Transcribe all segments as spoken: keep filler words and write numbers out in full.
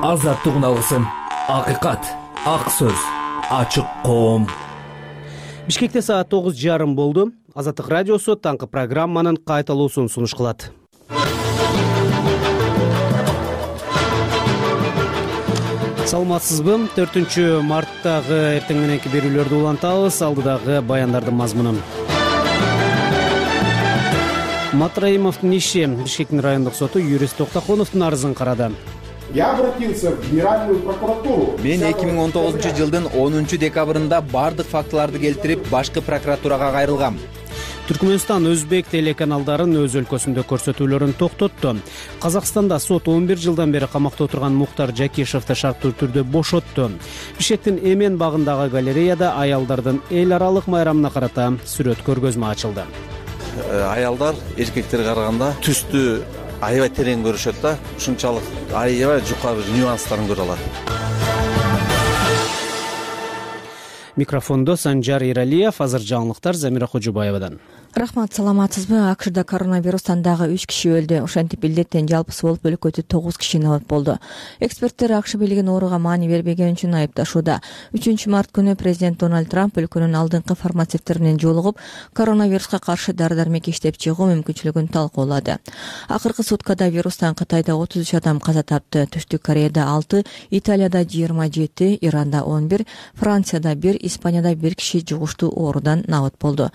азаттык алгысым, акыйкат, ак сөз, ачык коом. Бишкекте саат тогуз жарым болду. Азаттык радиосу таңкы программанын кайталуусун сунуш кылат. Саламатсызбы? төртүнчү марттагы эртең мененки берүүлөрдү улантабыз. Алдыдагы баяндардын мазмунун. Матраимовдун иши. Бишкектин райондук соту юрист Токтоконовдун арызын карады. Я обратился в Генеральную прокуратуру. Мен эки миң он тогузунчу жылдын онунчу декабрында бардык фактыларды келтирип, башкы прокуратурага кайрылгам. Түркмөнстан өзбек телеканалдарын өз өлкөсүндө көрсөтүүлөрүн токтотту. Казакстанда сот он бир жылдан бери камакта отурган Муктар Жакишевди шарттуу түрдө бошотту. Бишкектин Эмен багындагы галереяда аялдардын эл аралык майрамына карата сүрөт көргөзмө ачылды. Аялдар эркектерге караганда түстү аябай терең көрүшөт да, ушунчалык аябай жука бир нюанстарын көрө алат. Микрофондо Санжар Иралиев, азыр жаңылыктар Замира Кожубаевадан. Рахмат, саламатсызбы? акшда коронавирустан дагы үч киши өлдү. Ошентип илдеттен жалпысы болуп өлкөдө тогуз киши набат болду. Эксперттер акш бийлигин ооруга маани бербеген үчүн айыпташууда. үчүнчү март күнү президент Дональд Трамп өлкөнүн алдыңкы фармацевттери менен жолугуп, коронавируска каршы дары-дармек иштеп чыгуу мүмкүнчүлүгүн талкуулады. Акыркы суткада вирустан Кытайда отуз үч адам каза тапты. Түштүк Кореяда алты, Италияда жыйырма жети, Иранда он бир, Францияда бир, Испанияда бир киши жугуштуу оорудан набат болду.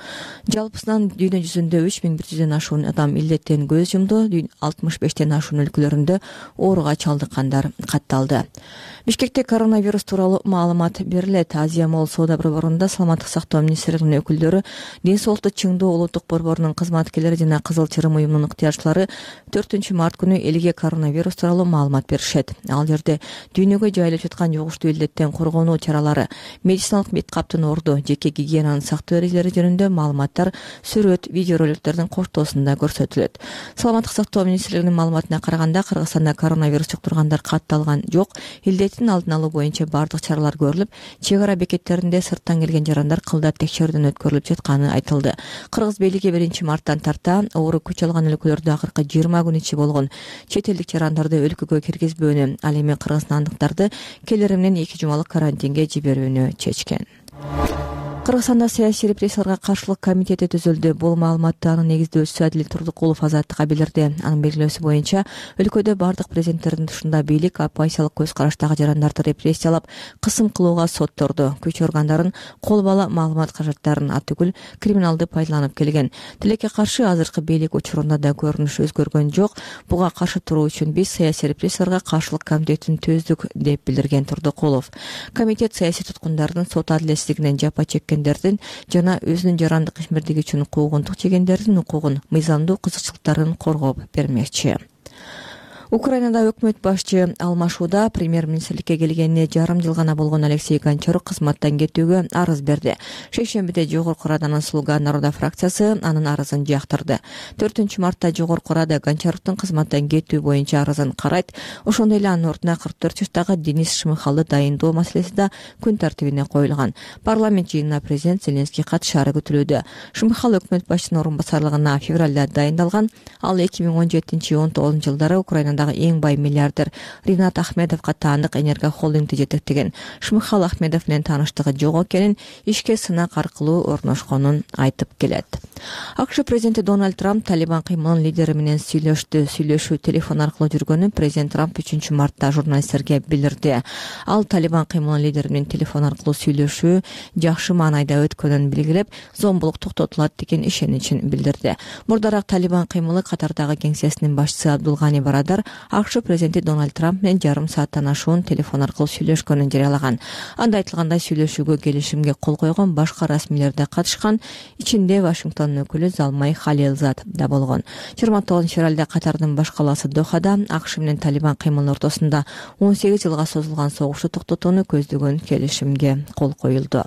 Жалпысынан дүйнө жүзүндө үч миң бир жүздөн ашуун адам илдеттен көз жумду. алтымыш бештен ашуун өлкөлөрүндө ооруга чалдыккандар катталды. Бишкекте коронавирус тууралуу маалымат берилет. Азия Молл соода борборунда саламаттык сактоо министрлигинин өкүлдөрү, ден соолукту чыңдоо улуттук борборунун кызматкерлери жана Кызыл Чырым уюмунун ыктыярчылары төртүнчү март күнү элге коронавирус тууралуу маалымат беришет. Ал жерде дүйнөгө жайылып жаткан жугуштуу илдеттен коргонуу чаралары, медициналык бет каптын орду, жеке гигиенанын сактоо эрежелери жөнүндө маалыматтар сүрөт, видеороликтердин коштоосунда көрсөтүлөт. Саламаттык сактоо министрлигинин маалыматына караганда, Кыргызстанда коронавирус жуктургандар катталган жок. Илдеттин алдын алуу боюнча бардык чаралар көрүлүп, чек ара бекеттеринде сырттан келген жарандар кылдат текшерүүдөн өткөрүлүп жатканы айтылды. Кыргыз бийлиги биринчи марттан тарта оору күч алган өлкөлөрдө акыркы жыйырма күн ичи болгон чет элдик жарандарды өлкөгө киргизбөөнү, ал эми кыргызстандыктарды келери менен эки жумалык карантинге жиберүүнү чечкен. Кыргызстанда саясий репрессияларга каршылык комитети түзүлдү. Бул маалыматты анын негиздөөчүсү Адил Турдукулов Азаттыкка билдирди. Анын белгилөөсү боюнча, өлкөдө бардык президенттердин тушунда бийлик оппозициялык көз караштагы жарандарды репрессиялап, кысым кылууга сотторду, күч органдарын кол бала маалымат каражаттарын атүгүл криминалды пайдаланып келген. Тилекке каршы азыркы бийлик учурунда да көрүнүш өзгөргөн жок. Буга каршы туруу үчүн биз саясий репрессияларга каршылык комитетин түздүк, деп билдирген Турдукулов. Комитет саясий туткундардын сот адилетсиздигинен жапа чеккен жана өзүнүн жарандык ишмердиги үчүн куугунтук жегендердин укугун, мыйзамдуу кызыкчылыктарын коргоп бермекчи. Украинада өкмөт башчы алмашууда. Премьер-министрликке келгенине жарым жыл гана болгон Алексей Гончарук кызматтан кетүүгө арыз берди. Шейшембиде Жогорку Раданын Слуга народа фракциясы анын арызын жактырды. төртүнчү мартта Жогорку Рада Гончаруктун кызматтан кетүү боюнча арызын карайт. Ошондой эле анын ордуна кырк төрт жаштагы Денис Шмыхалды дайындоо маселеси да күн тартибине коюлган. Парламент жыйынына президент Зеленский катышаары күтүлүүдө. Шмыхал өкмөт башчысынын орун басарлыгына февралда дайындалган. Ал эки миң он жетинчи он тогузунчу жылдары Украинада эң бай миллиардер Ринат Ахмедовго таандык Энерго холдингди жетектеген. Шмыхал Ахмедов менен тааныштыгы жок экенин, ишке сынак аркылуу орношконун айтып келет. акш президенти Дональд Трамп Талибан кыймылынын лидери менен сүйлөштү. Сүйлөшүү телефон аркылуу жүргөнүн президент Трамп үчүнчү мартта журналисттерге билдирди. Ал Талибан кыймылынын лидери менен телефон аркылуу сүйлөшүү жакшы маанайда өткөнүн белгилеп, зомбулук токтотулат деген ишеничин билдирди. Мурдараак Талибан кыймылы катардагы кеңсесинин башчысы Абдулгани Барадар акш президенти Дональд Трамп менен жарым сааттан ашуун телефон аркылуу сүйлөшкөнүн жарыялаган. Анда айтылгандай, сүйлөшүүгө келишимге кол койгон башка расмийлер да катышкан. Ичинде Вашингтондун өкүлү Залмай Халилзад да болгон. жыйырма тогузунчу февралда Катардын баш калаасы Дохада акш менен Талибан кыймылынын ортосунда он сегиз жылга созулган согушту токтотууну көздөгөн келишимге кол коюлду.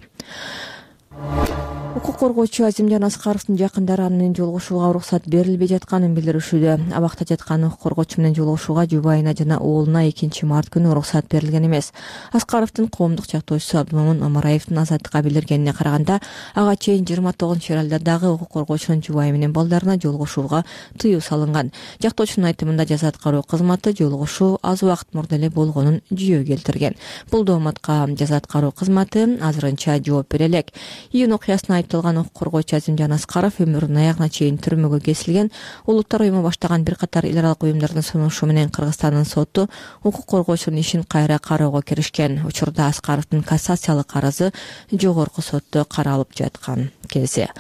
Укук коргоочу Азимжан Аскаровдун жакындары аны менен жолугушууга уруксат берилбей жатканын билдиришүүдө. Абакта жаткан укук коргоочу менен жолугушууга жубайына жана уулуна экинчи март күнү уруксат берилген эмес. Аскаровдун коомдук чактоочусу Абдумомун Омараевдин азаттыкка билдиргенине караганда, ага чейин жыйырма тогузунчу февралда дагы укук коргоочунун жубайы менен балдарына жолугушууга тыюу салынган. Жактоочунун айтымында жаза аткаруу кызматы жолугушуу аз убакыт мурда эле болгонун жүйө келтирген. Бул дооматка жаза аткаруу кызматы азырынча жооп бере элек. Июнь окуясына айтылган укук коргоочу Азимжан Аскаров өмүрүнүн аягына чейин түрмөгө кесилген. Улуттар уюму баштаган бир катар эл аралык уюмдардын сунушу менен Кыргызстандын соту укук коргоочунун ишин кайра кароого киришкен. Учурда Аскаровдун кассациялык арызы жогорку сотто каралып жаткан кезде.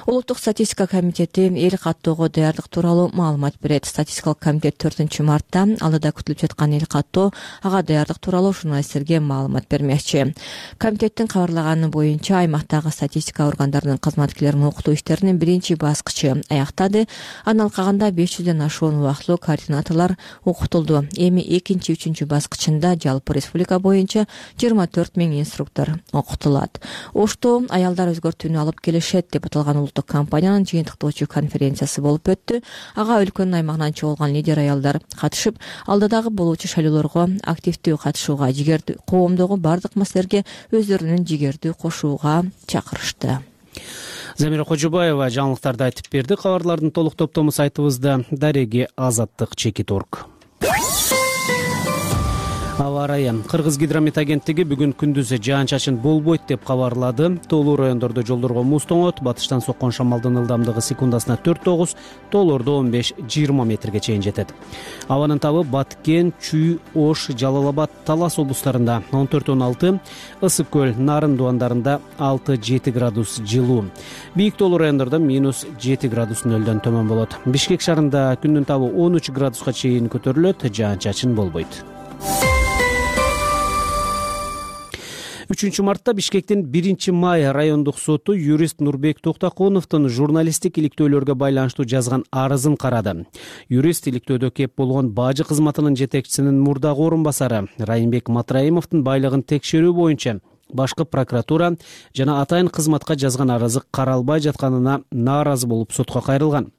Улуттук статистика комитети эл каттоого даярдык тууралуу маалымат берет. Статистикалык комитет төртүнчү мартта алдыда күтүлүп жаткан эл каттоо, ага даярдык тууралуу журналисттерге маалымат бермекчи. Комитеттин кабарлаганы боюнча аймактагы статистика органдарынын кызматкерлерин окутуу иштеринин биринчи баскычы аяктады. Андан калганда беш жүздөн ашуун убактылуу координаторлор окутулду. Эми экинчи, үчүнчү баскычында жалпы республика боюнча жыйырма төрт миң инструктор окутулат. Ошто аялдар өзгөртүүнү алып келишет деп аталган улуттук компаниянын жыйынтыктоочу конференциясы болуп өттү. Ага өлкөнүн аймагынан чогулган лидер аялдар катышып, алдыдагы болуучу шайлоолорго активдүү катышууга, жигердүү коомдогу бардык маселелерге өздөрүнүн жигердүү кошууга чакырышты. Замира Кожубаева жаңылыктарды айтып берди. Кабарлардын толук топтому сайтыбызда. Дареги Азаттык чекит точка орг. Аба ырайы. Кыргыз гидромет агенттиги бүгүн күндүз жаан-чачын болбойт деп кабарлады. Тоолуу райондордо жолдорго муз тоңот, батыштан соккон шамалдын ылдамдыгы секундасына төрт тогуз, тоолордо он беш жыйырма метрге чейин жетет. Абанын табы Баткен, Чүй, Ош, Жалал-Абад, Талас облустарында он төрт он алты, Ысык көл, Нарын дуандарында алты жети градус жылуу. Бийик тоолуу райондордо минус жети градус нөлдөн төмөн болот. Бишкек шаарында күндүн табы он үч градуска чейин көтөрүлөт, жаан-чачын болбойт. үчүнчү мартта Бишкектин биринчи май райондук соту юрист Нурбек Токтокуновдун журналисттик иликтөөлөргө байланыштуу жазган арызын карады. Юрист иликтөөдө кеп болгон бажы кызматынын жетекчисинин мурдагы орун басары Райымбек Матраимовдун байлыгын текшерүү боюнча башкы прокуратура жана атайын кызматка жазган арызы каралбай жатканына нааразы болуп сотко кайрылган.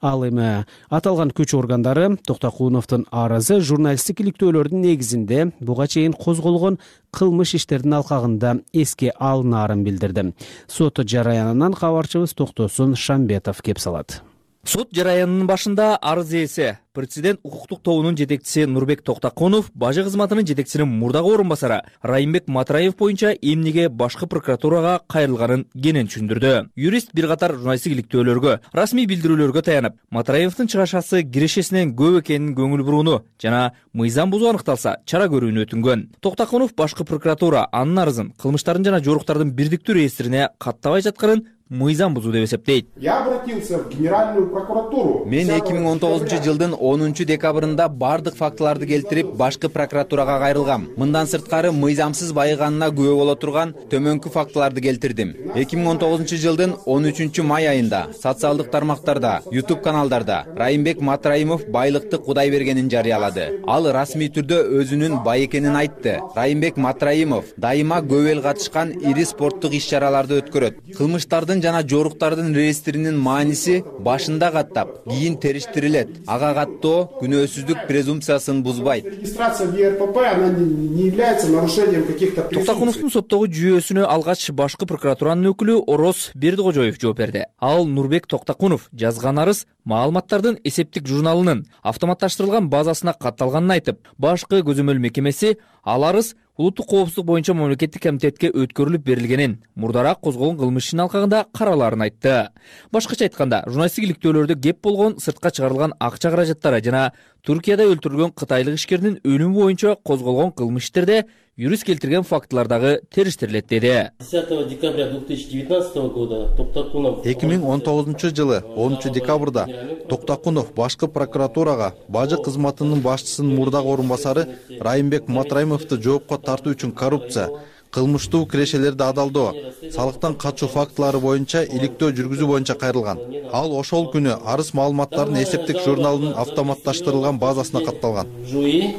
Ал эми аталган күч органдары Токтокуновдун арызы журналисттик иликтөөлөрдүн негизинде буга чейин козголгон кылмыш иштердин алкагында эске алынаарын билдирди. Сот жараянынан кабарчыбыз Токтосун Шамбетов кеп салат. Сот жараянынын башында арыз ээси президент укуктук тобунун жетекчиси Нурбек Токтокунов бажы кызматынын жетекчисинин мурдагы орун басары Райымбек Матраев боюнча эмнеге башкы прокуратурага кайрылганын кенен түшүндүрдү. Юрист бир катар журналисттик иликтөөлөргө, расмий билдирүүлөргө таянып, Матраевдин чыгашасы кирешесинен көп экенин көңүл бурууну жана мыйзам бузуу аныкталса чара көрүүнү өтүнгөн. Токтокунов башкы прокуратура анын арызын кылмыштардын жана жоруктардын бирдиктүү реестрине каттабай жатканын мыйзам бузуу деп эсептейт. Я обратился в Генеральную прокуратуру. Мен эки миң он тогузунчу жылдын онунчу декабрында бардык фактыларды келтирип, башкы прокуратурага кайрылгам. Мындан сырткары мыйзамсыз байыганына күбө боло турган төмөнкү фактыларды келтирдим. эки миң он тогузунчу жылдын он үчүнчү май айында социалдык тармактарда, YouTube каналдарда Райымбек Матраимов байлыкты Кудай бергенин жарыялады. Ал расмий түрдө өзүнүн бай экенин айтты. Райымбек Матраимов дайыма көп эл катышкан ири спорттук иш-чараларды өткөрөт. Кылмыштардын жана жоруктардын реестринин мааниси башында каттап, кийин териштирилет. Ага каттоо күнөөсүздүк презумпциясын бузбайт. Регистрация в Е Р П П она не является нарушением каких-то презумпций. Токтокуновдун соттогу жүйөсүнө алгач башкы прокуратуранын өкүлү Ороз Бердикожоев жооп берди. Ал Нурбек Токтокунов жазган арыз маалыматтардын эсептик журналынын автоматташтырылган базасына катталганын айтып, башкы көзөмөл мекемеси ал арыз улуттук коопсуздук боюнча мамлекеттик комитетке өткөрүлүп берилгенин, мурдараак козголгон кылмыш ишин алкагында каралаарын айтты. Башкача айтканда, журналисттик иликтөөлөрдө кеп болгон сыртка чыгарылган акча каражаттары жана Туркияда өлтүрүлгөн кытайлык ишкердин өлүмү боюнча козголгон кылмыш иштерде юрист келтирген фактылардагы териштирилет деди. десятого декабря две тысячи девятнадцатого года Токтокунов эки миң он тогузунчу жылы онунчу декабрда Токтокунов башкы прокуратурага бажы кызматынын башчысынын мурдагы орун басары Райымбек Матраимовду жоопко тартуу үчүн коррупция, кылмыштуу кирешелерди адалдоо, салыктан качуу фактылары боюнча иликтөө жүргүзүү боюнча кайрылган. Ал ошол күнү арыз маалыматтарынын эсептик журналынын автоматташтырылган базасына катталган.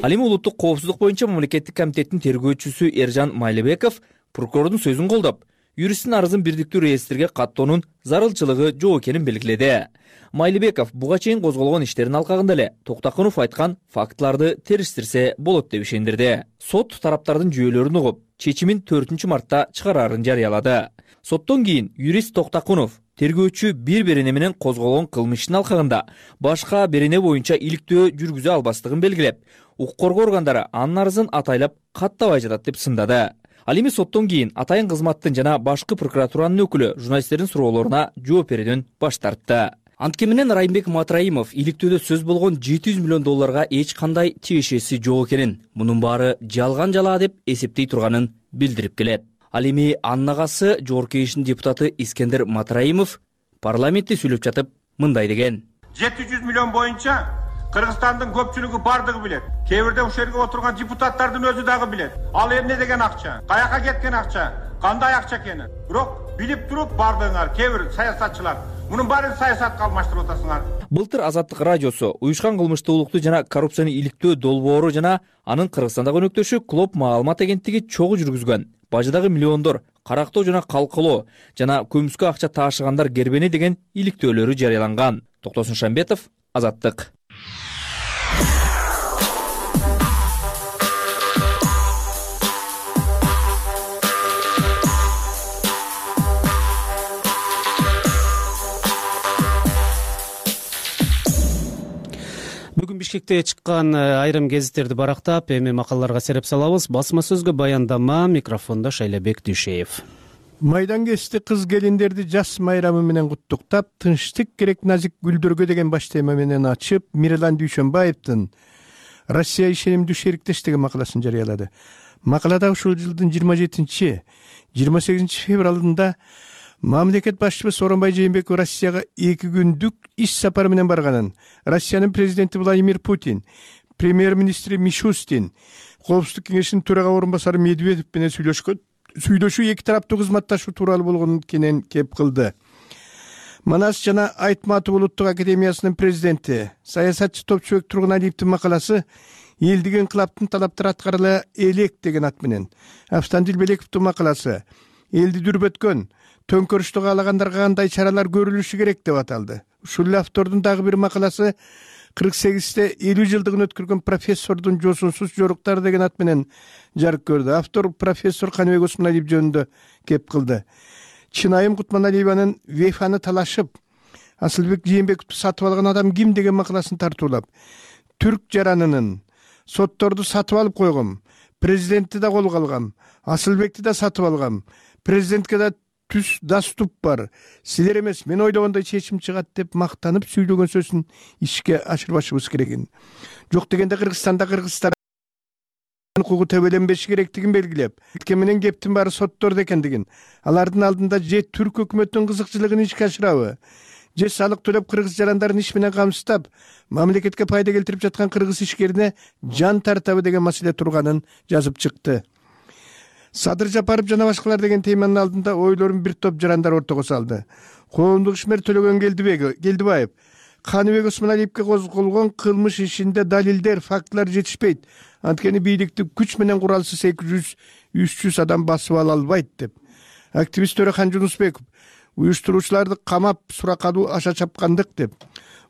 Ал эми улуттук коопсуздук боюнча мамлекеттик комитеттин тергөөчүсү Эржан Майлыбеков прокурордун сөзүн колдоп, юристтин арызын бирдиктүү реестрге каттоонун зарылчылыгы жок экенин белгиледи. Майлыбеков буга чейин козголгон иштердин алкагында эле Токтакунов айткан фактыларды териштирсе болот деп ишендирди. Сот тараптардын жүйөлөрүн угуп, чечимин төртүнчү мартта чыгараарын жарыялады. Соттон кийин юрист Токтакунов тергөөчү бири-бирине менен козголгон кылмыштын алкагында башка берене боюнча иликтөө жүргүзө албастыгын белгилеп, укук коргоо органдары анын арызын атайлап каттабай жатат деп сындады. Ал эми соттон кийин атайын кызматтын жана башкы прокуратуранын өкүлү журналисттердин суроолоруна жооп берүүдөн баш тартты. Анткени менен Райымбек Матраимов иликтөөдө сөз болгон жети жүз миллион долларга эч кандай тиешеси жок экенин, мунун баары жалган жала деп эсептей турганын билдирип келет. Ал эми анын агасы Жогорку Кеңештин депутаты Искендер Матраимов парламентте сүйлөп жатып мындай деген. жети жүз миллион боюнча Кыргызстандын көпчүлүгү бардыгы билет. Кээ бирде ушул жерге отурган депутаттардын өзү дагы билет. Ал эмне деген акча? Каяка кеткен акча? Кандай акча экенин? Бирок билип туруп бардыгыңар кээ бир саясатчылар мунун баарын саясатка алмаштырып атасыңар. Былтыр Азаттык радиосу уюшкан кылмыштуулукту жана коррупцияны иликтөө долбоору жана анын Кыргызстандагы өнөктөшү Клоп маалымат агенттиги чогуу жүргүзгөн бажыдагы миллиондор карактоо жана калкылоо жана көмүскө акча таашыгандар кербени деген иликтөөлөрү жарыяланган. Токтосун Шамбетов, Азаттык. Бүгүн Бишкекте чыккан айрым гезиттерди барактап, эми макалаларга сереп салабыз. Басма сөзгө баяндама, микрофондо Шайлабек Дүйшеев. Майдан кести кыз келиндерди жас майрамы менен куттуктап, тынчтык керек назик гүлдөргө деген баш тема менен ачып, Мирлан Дүйшөнбаевдин Россия ишенимдүү шериктеш деген макаласын жарыялады. Макалада ушул жылдын жыйырма жетинчи жыйырма сегизинчи февралында мамлекет башчысы Сооронбай Жээнбеков Россияга эки күндүк иш сапары менен барганын, Россиянын президенти Владимир Путин, премьер-министри Мишустин, Коопсуздук кеңешинин төрага орун басары Медведев менен сүйлөшкөн. Сүйлөшүү эки тараптуу кызматташуу тууралуу болгон кенен кеп кылды. Манас жана Айтматов улуттук академиясынын президенти, саясатчы Топчубек Тургуналиевдин макаласы элдиги инкылаптын талаптары аткарыла элек деген ат менен, Автандил Белековдун макаласы элди дүрбөткөн төңкөрүштү каалагандарга кандай чаралар көрүлүшү керек деп аталды. Ушул эле автордун дагы бир макаласы кырк сегизде элүү жылдыгын өткөргөн профессордун жосунсуз жоруктары деген ат менен жарык көрдү. Автор профессор Каныбек Осмоналиев жөнүндө кеп кылды. Чынайым Кутманалиеванын Вейфаны талашып, Асылбек Жээнбековду сатып алган адам ким деген макаласын тартуулап, түрк жаранынын сотторду сатып алып койгом, президентти да колго алгам, Асылбекти да сатып алгам, президентке да түз даступ бар, силер эмес мен ойлогондой чечим чыгат деп мактанып сүйлөгөн сөзүн ишке ашырбашыбыз керек. Жок дегенде Кыргызстанда кыргыздар укугу төбөленбеши керектигин белгилеп, кеткен менен кептин баары соттордо экендигин, алардын алдында же түрк өкмөтүнүн кызыкчылыгын ишке ашырабы, же салык төлөп кыргыз жарандарын иш менен камсыздап, мамлекетке пайда келтирип жаткан кыргыз ишкерине жан тартабы деген маселе турганын жазып чыкты. Садыр Жапаров жана башкалар деген теманын алдында ойлорун бир топ жарандар ортого салды. Коомдук ишмер Төлөгөн Келдибаев Каныбек Осмоналиевге козголгон кылмыш ишинде далилдер, фактылар жетишпейт. Анткени бийликти күч менен куралсыз эки жүз үч жүз адам басып ала албайт деп. Активист Төрехан Жунусбеков уюштуруучуларды камап сурак алуу аша чапкандык деп.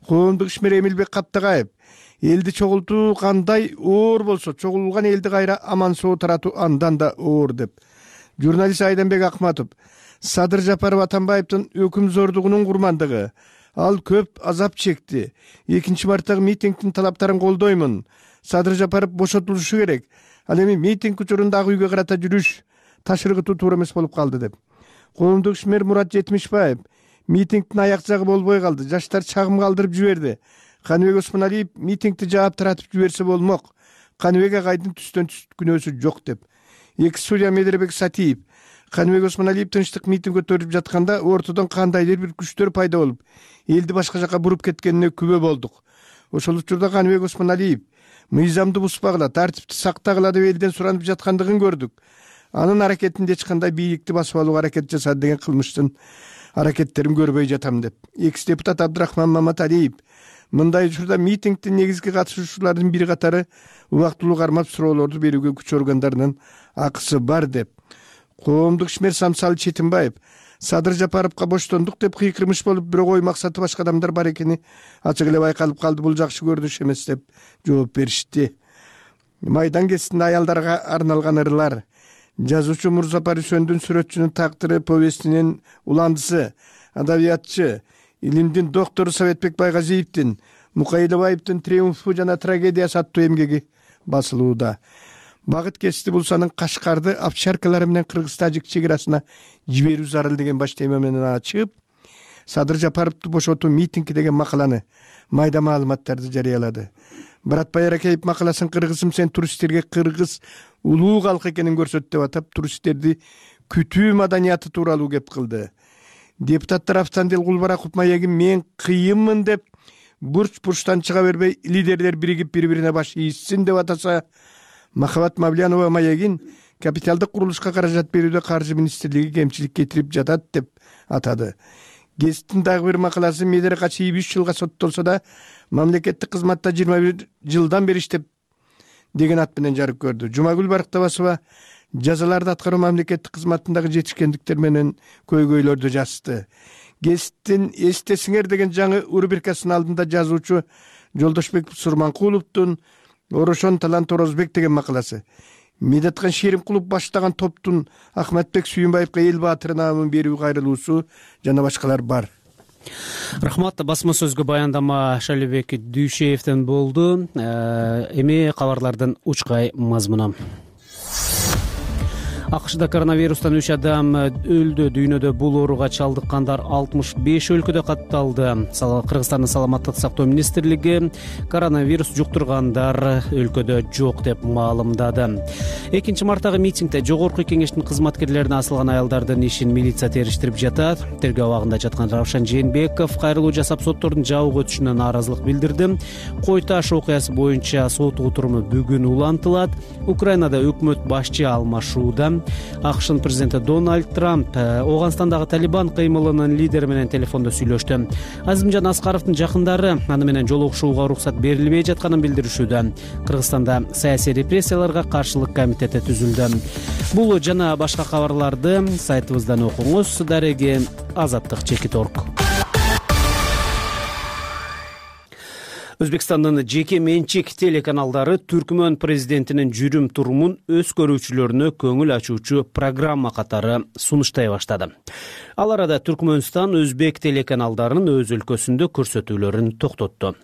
Коомдук ишмер Эмилбек Каптагаев элди чогултуу кандай оор болсо, чогулган элди кайра аман соо таратуу андан да оор деп. Журналист Айданбек Акматов Садыр Жапаров Атамбаевдин өкүм зордугунун курмандыгы, ал көп азап чекти. экинчи марттагы митингдин талаптарын колдоймун. Садыр Жапаров бошотулушу керек. Ал эми митинг учурундагы үйгө карата жүрүш ташыргытуу туура эмес болуп калды деп. Коомдук ишмер Мурат Жетимишбаев митингдин аяк жагы болбой калды. Жаштар чагым калтырып жиберди. Каныбек Осмоналиев митингди жаап таратып жиберсе болмок. Каныбек агайдын түстөн түс күнөөсү жок деп. Эки судья Медербек Сатиев Каныбек Осмоналиев тынчтык митинг өткөрүп жатканда ортодон кандайдыр бир күчтөр пайда болуп, элди башка жака буруп кеткенине күбө болдук. Ошол учурда Каныбек Осмоналиев мыйзамды бузбагыла, тартипти сактагыла деп элден суранып жаткандыгын көрдүк. Анын аракетинде эч кандай бийликти басып алууга аракет жасады деген кылмыштын аракеттерин көрбөй жатам деп. Экс депутат Абдрахман Маматалиев мындай учурда митингдин негизги катышуучуларынын бир катары убактылуу кармап суроолорду берүүгө күч органдарынын акысы бар деп. коомдук ишмер Самсалы Четимбаев Садыр Жапаровго боштондук деп кыйкырмыш болуп, бирок ой максаты башка адамдар бар экени ачык эле байкалып калды. Бул жакшы көрүнүш эмес деп жооп беришти. Майдан кесинде аялдарга арналган ырлар. Жазуучу Мурзапар Үсөндүн Сүрөтчүнүн тагдыры повестинин уландысы, адабиятчы, илимдин доктору Советбек Байгазиевдин Мукаилбаевдин Триумфу жана трагедиясы аттуу эмгеги басылууда. Багыт кести Булсанын Кашкарды овчаркалары менен Кыргыз-Тажик чек арасына жиберүү зарыл деген баш тема менен ачып, Садыр Жапаровду бошотуу митинги деген макаланы, майда маалыматтарды жарыялады. Баратбай Аракеев макаласын кыргызым сен туристтерге кыргыз улуу калк экенин көрсөт деп атап, туристтерди күтүү маданияты тууралуу кеп кылды. Депутаттар Автандел Кулбараков маегин мен кыйынмын деп бурч-бурчтан чыга бербей, лидерлер биригип бири-бирине баш ийишсин деп атаса, Махабат Мавлянова маегин капиталдык курулушка каражат берүүдө каржы министрлиги кемчилик кетирип жатат деп атады. Гезиттин дагы бир макаласы Медер Качиев үч жылга соттолсо да мамлекеттик кызматта жыйырма бир жылдан бери иштеп деген ат менен жарык көрдү. Жумагүл Барктабасова жазаларды аткаруу мамлекеттик кызматындагы жетишкендиктер менен көйгөйлөрдү жазды. Гезиттин эстесиңер деген жаңы рубрикасынын алдында жазуучу Жолдошбек Сурманкуловдун Орошон талант Орозбек деген макаласы. Медеткан Шеримкулов баштаган топтун Ахматбек Сүйүнбаевга эл баатыры наамын берүү кайрылуусу жана башкалар бар. Рахмат. Басма сөзгө баяндама Шалибек Дүйшеевден болду. Эми кабарлардын учкай мазмуну. АКШда коронавирустан үч адам өлдү. Дүйнөдө бул ооруга чалдыккандар алтымыш беш өлкөдө катталды. Кыргызстандын саламаттык сактоо министрлиги коронавирус жуктургандар өлкөдө жок деп маалымдады. экинчи марттагы митингде жогорку кеңештин кызматкерлерине асылган аялдардын ишин милиция териштирип жатат. Тергөө абагында жаткан Равшан Жээнбеков кайрылуу жасап соттордун жабык өтүшүнө нааразылык билдирди. Кой Таш окуясы боюнча сот отуруму бүгүн улантылат. Украинада өкмөт башчы алмашууда. АКШнын президенти Дональд Трамп Ооганстандагы Талибан кыймылынын лидери менен телефондо сүйлөштү. Азимжан Аскаровдун жакындары аны менен жолугушууга уруксат берилбей жатканын билдиришүүдө. Кыргызстанда саясий репрессияларга каршылык комитети түзүлдү. Бул жана башка кабарларды сайтыбыздан окуңуз. Дареги Азаттык Чекит орг. Өзбекстандын жеке менчик телеканалдары Түркмөн президентинин жүрүм турумун өз көрүүчүлөрүнө көңүл ачуучу программа катары сунуштай баштады. Ал арада Түркмөнстан өзбек телеканалдарынын өз өлкөсүндө көрсөтүүлөрүн токтотту.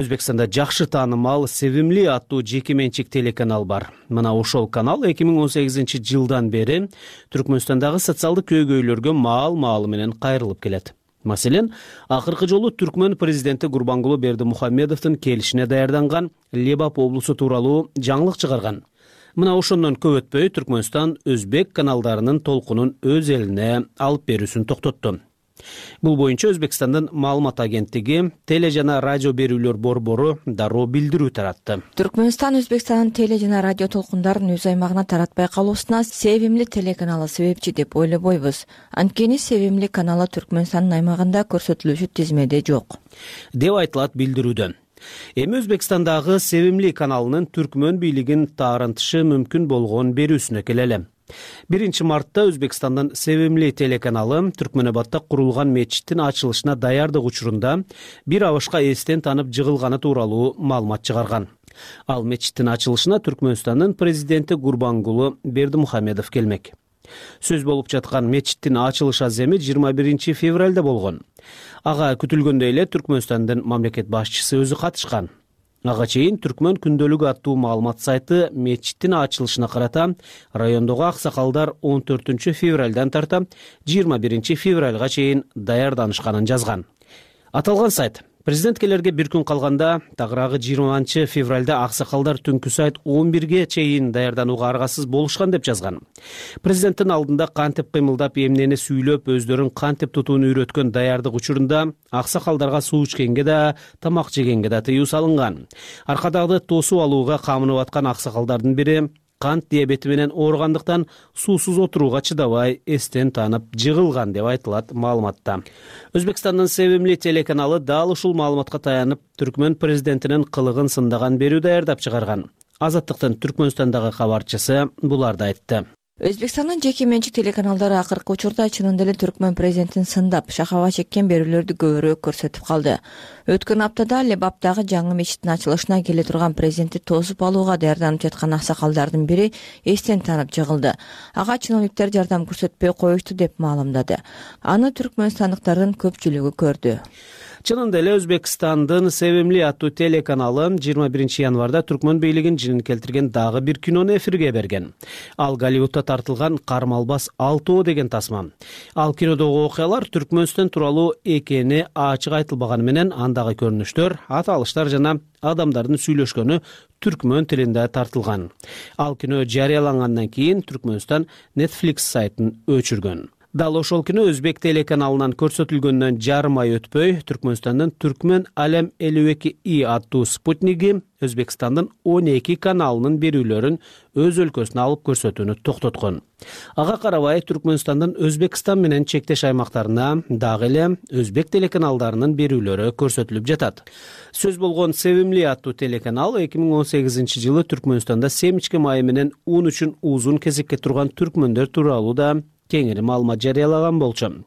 Өзбекстанда жакшы таанымал Севимли аттуу жеке менчик телеканал бар. Мына ошол канал эки миң он сегизинчи жылдан бери Түркмөнстандагы социалдык көйгөйлөргө маал-маалы менен кайрылып келет. Маселен, акыркы жолу Түркмөн президенти Гурбангулы Бердимухамедовдун келишине даярданган Лебап облусу тууралуу жаңылык чыгарган. Мына ошондон көп өтпөй Түркмөнстан өзбек каналдарынын толкунун өз элине алып берүүсүн токтотту. Бул боюнча Өзбекстандын маалымат агенттиги теле жана радио берүүлөр борбору дароо билдирүү таратты. Түркмөнстан Өзбекстандын теле жана радио толкундарын өз аймагына таратпай калуусуна Севимли телеканалы себепчи деп ойлобойбуз. Анткени Севимли каналы Түркмөнстандын аймагында көрсөтүлүүчү тизмеде жок, деп айтылат билдирүүдө. Эми Өзбекстандагы Севимли каналынын Түркмөн бийлигин таарынтышы мүмкүн болгон берүүсүнө келели. биринчи мартта Өзбекстандын Севимли телеканалы Түркмөнөбадта курулган мечиттин ачылышына даярдык учурунда бир абышка эстен танып жыгылганы тууралуу маалымат чыгарган. Ал мечиттин ачылышына Түркмөнстандын президенти Гурбангулы Бердимухамедов келмек. Сөз болуп жаткан мечиттин ачылыш аземи жыйырма биринчи февралда болгон. Ага күтүлгөндөй эле Түркмөнстандын мамлекет башчысы өзү катышкан. Ага чейин Түркмөн күндөлүгү аттуу маалымат сайты мечиттин ачылышына карата райондогу аксакалдар он төртүнчү февралдан тарта жыйырма биринчи февралга чейин даярданышканын жазган. Аталган сайт президенткелерге бир күн калганда тагыраагы жыйырманчы февралда аксакалдар түнкү сайт он бирге чейин даярданууга аргасыз болушкан деп жазган. Президенттин алдында кантип кыймылдап, эмнени сүйлөп, өздөрүн кантип тутууну үйрөткөн даярдык учурунда аксакалдарга суу ичкенге да, тамак жегенге да тыюу салынган. Аркадагы тосуп алууга камынып аткан аксакалдардын бири кант диабети менен ооругандыктан суусуз отурууга чыдабай эстен танып жыгылган деп айтылат маалыматта. Өзбекстандын Севимли телеканалы дал ушул маалыматка таянып Түркмөн президентинин кылыгын сындаган берүү даярдап чыгарган. Азаттыктын Түркмөнстандагы кабарчысы буларды айтты. Өзбекстандын жеке менчик телеканалдары акыркы учурда чынында эле Түркмөн президентин сындап, шакаба чеккен берүүлөрдү көбүрөөк көрсөтүп калды. Өткөн аптада Лебаптагы жаңы мечиттин ачылышына келе турган президентти тосуп алууга даярданып жаткан аксакалдардын бири эстен танып жыгылды. Ага чиновниктер жардам көрсөтпөй коюшту деп маалымдады. Аны түркмөнстандыктардын көпчүлүгү көрдү. Чынында эле Өзбекстандын Sevimli аттуу телеканалы жыйырма биринчи январда түркмөн бийлигин жинин келтирген дагы бир кинону эфирге берген. Ал Голливудта тартылган Кармалбас алтоо деген тасма. Ал кинодогу окуялар Түркмөнстан тууралуу экени ачык айтылбаганы менен андагы көрүнүштөр, аталыштар жана адамдардын сүйлөшкөнү түркмөн тилинде тартылган. Ал кино жарыялангандан кийин Түркмөнстан Netflix сайтын өчүргөн. Дал ошол күнү Өзбек телеканалынан көрсөтүлгөндөн жарым ай өтпөй Түркмөнстандын Түркмөн Алем элүү эки и аттуу спутниги Өзбекстандын он эки каналынын берүүлөрүн өз өлкөсүнө алып көрсөтүүнү токтоткон. Ага карабай Түркмөнстандын Өзбекстан менен чектеш аймактарына дагы эле өзбек телеканалдарынын берүүлөрү көрсөтүлүп жатат. Сөз болгон Sevimli аттуу телеканал эки миң он сегизинчи жылы Түркмөнстанда семичке майы менен ун үчүн узун кезекке турган түркмөндөр тууралуу да кеңири маалымат жарыялаган болчу.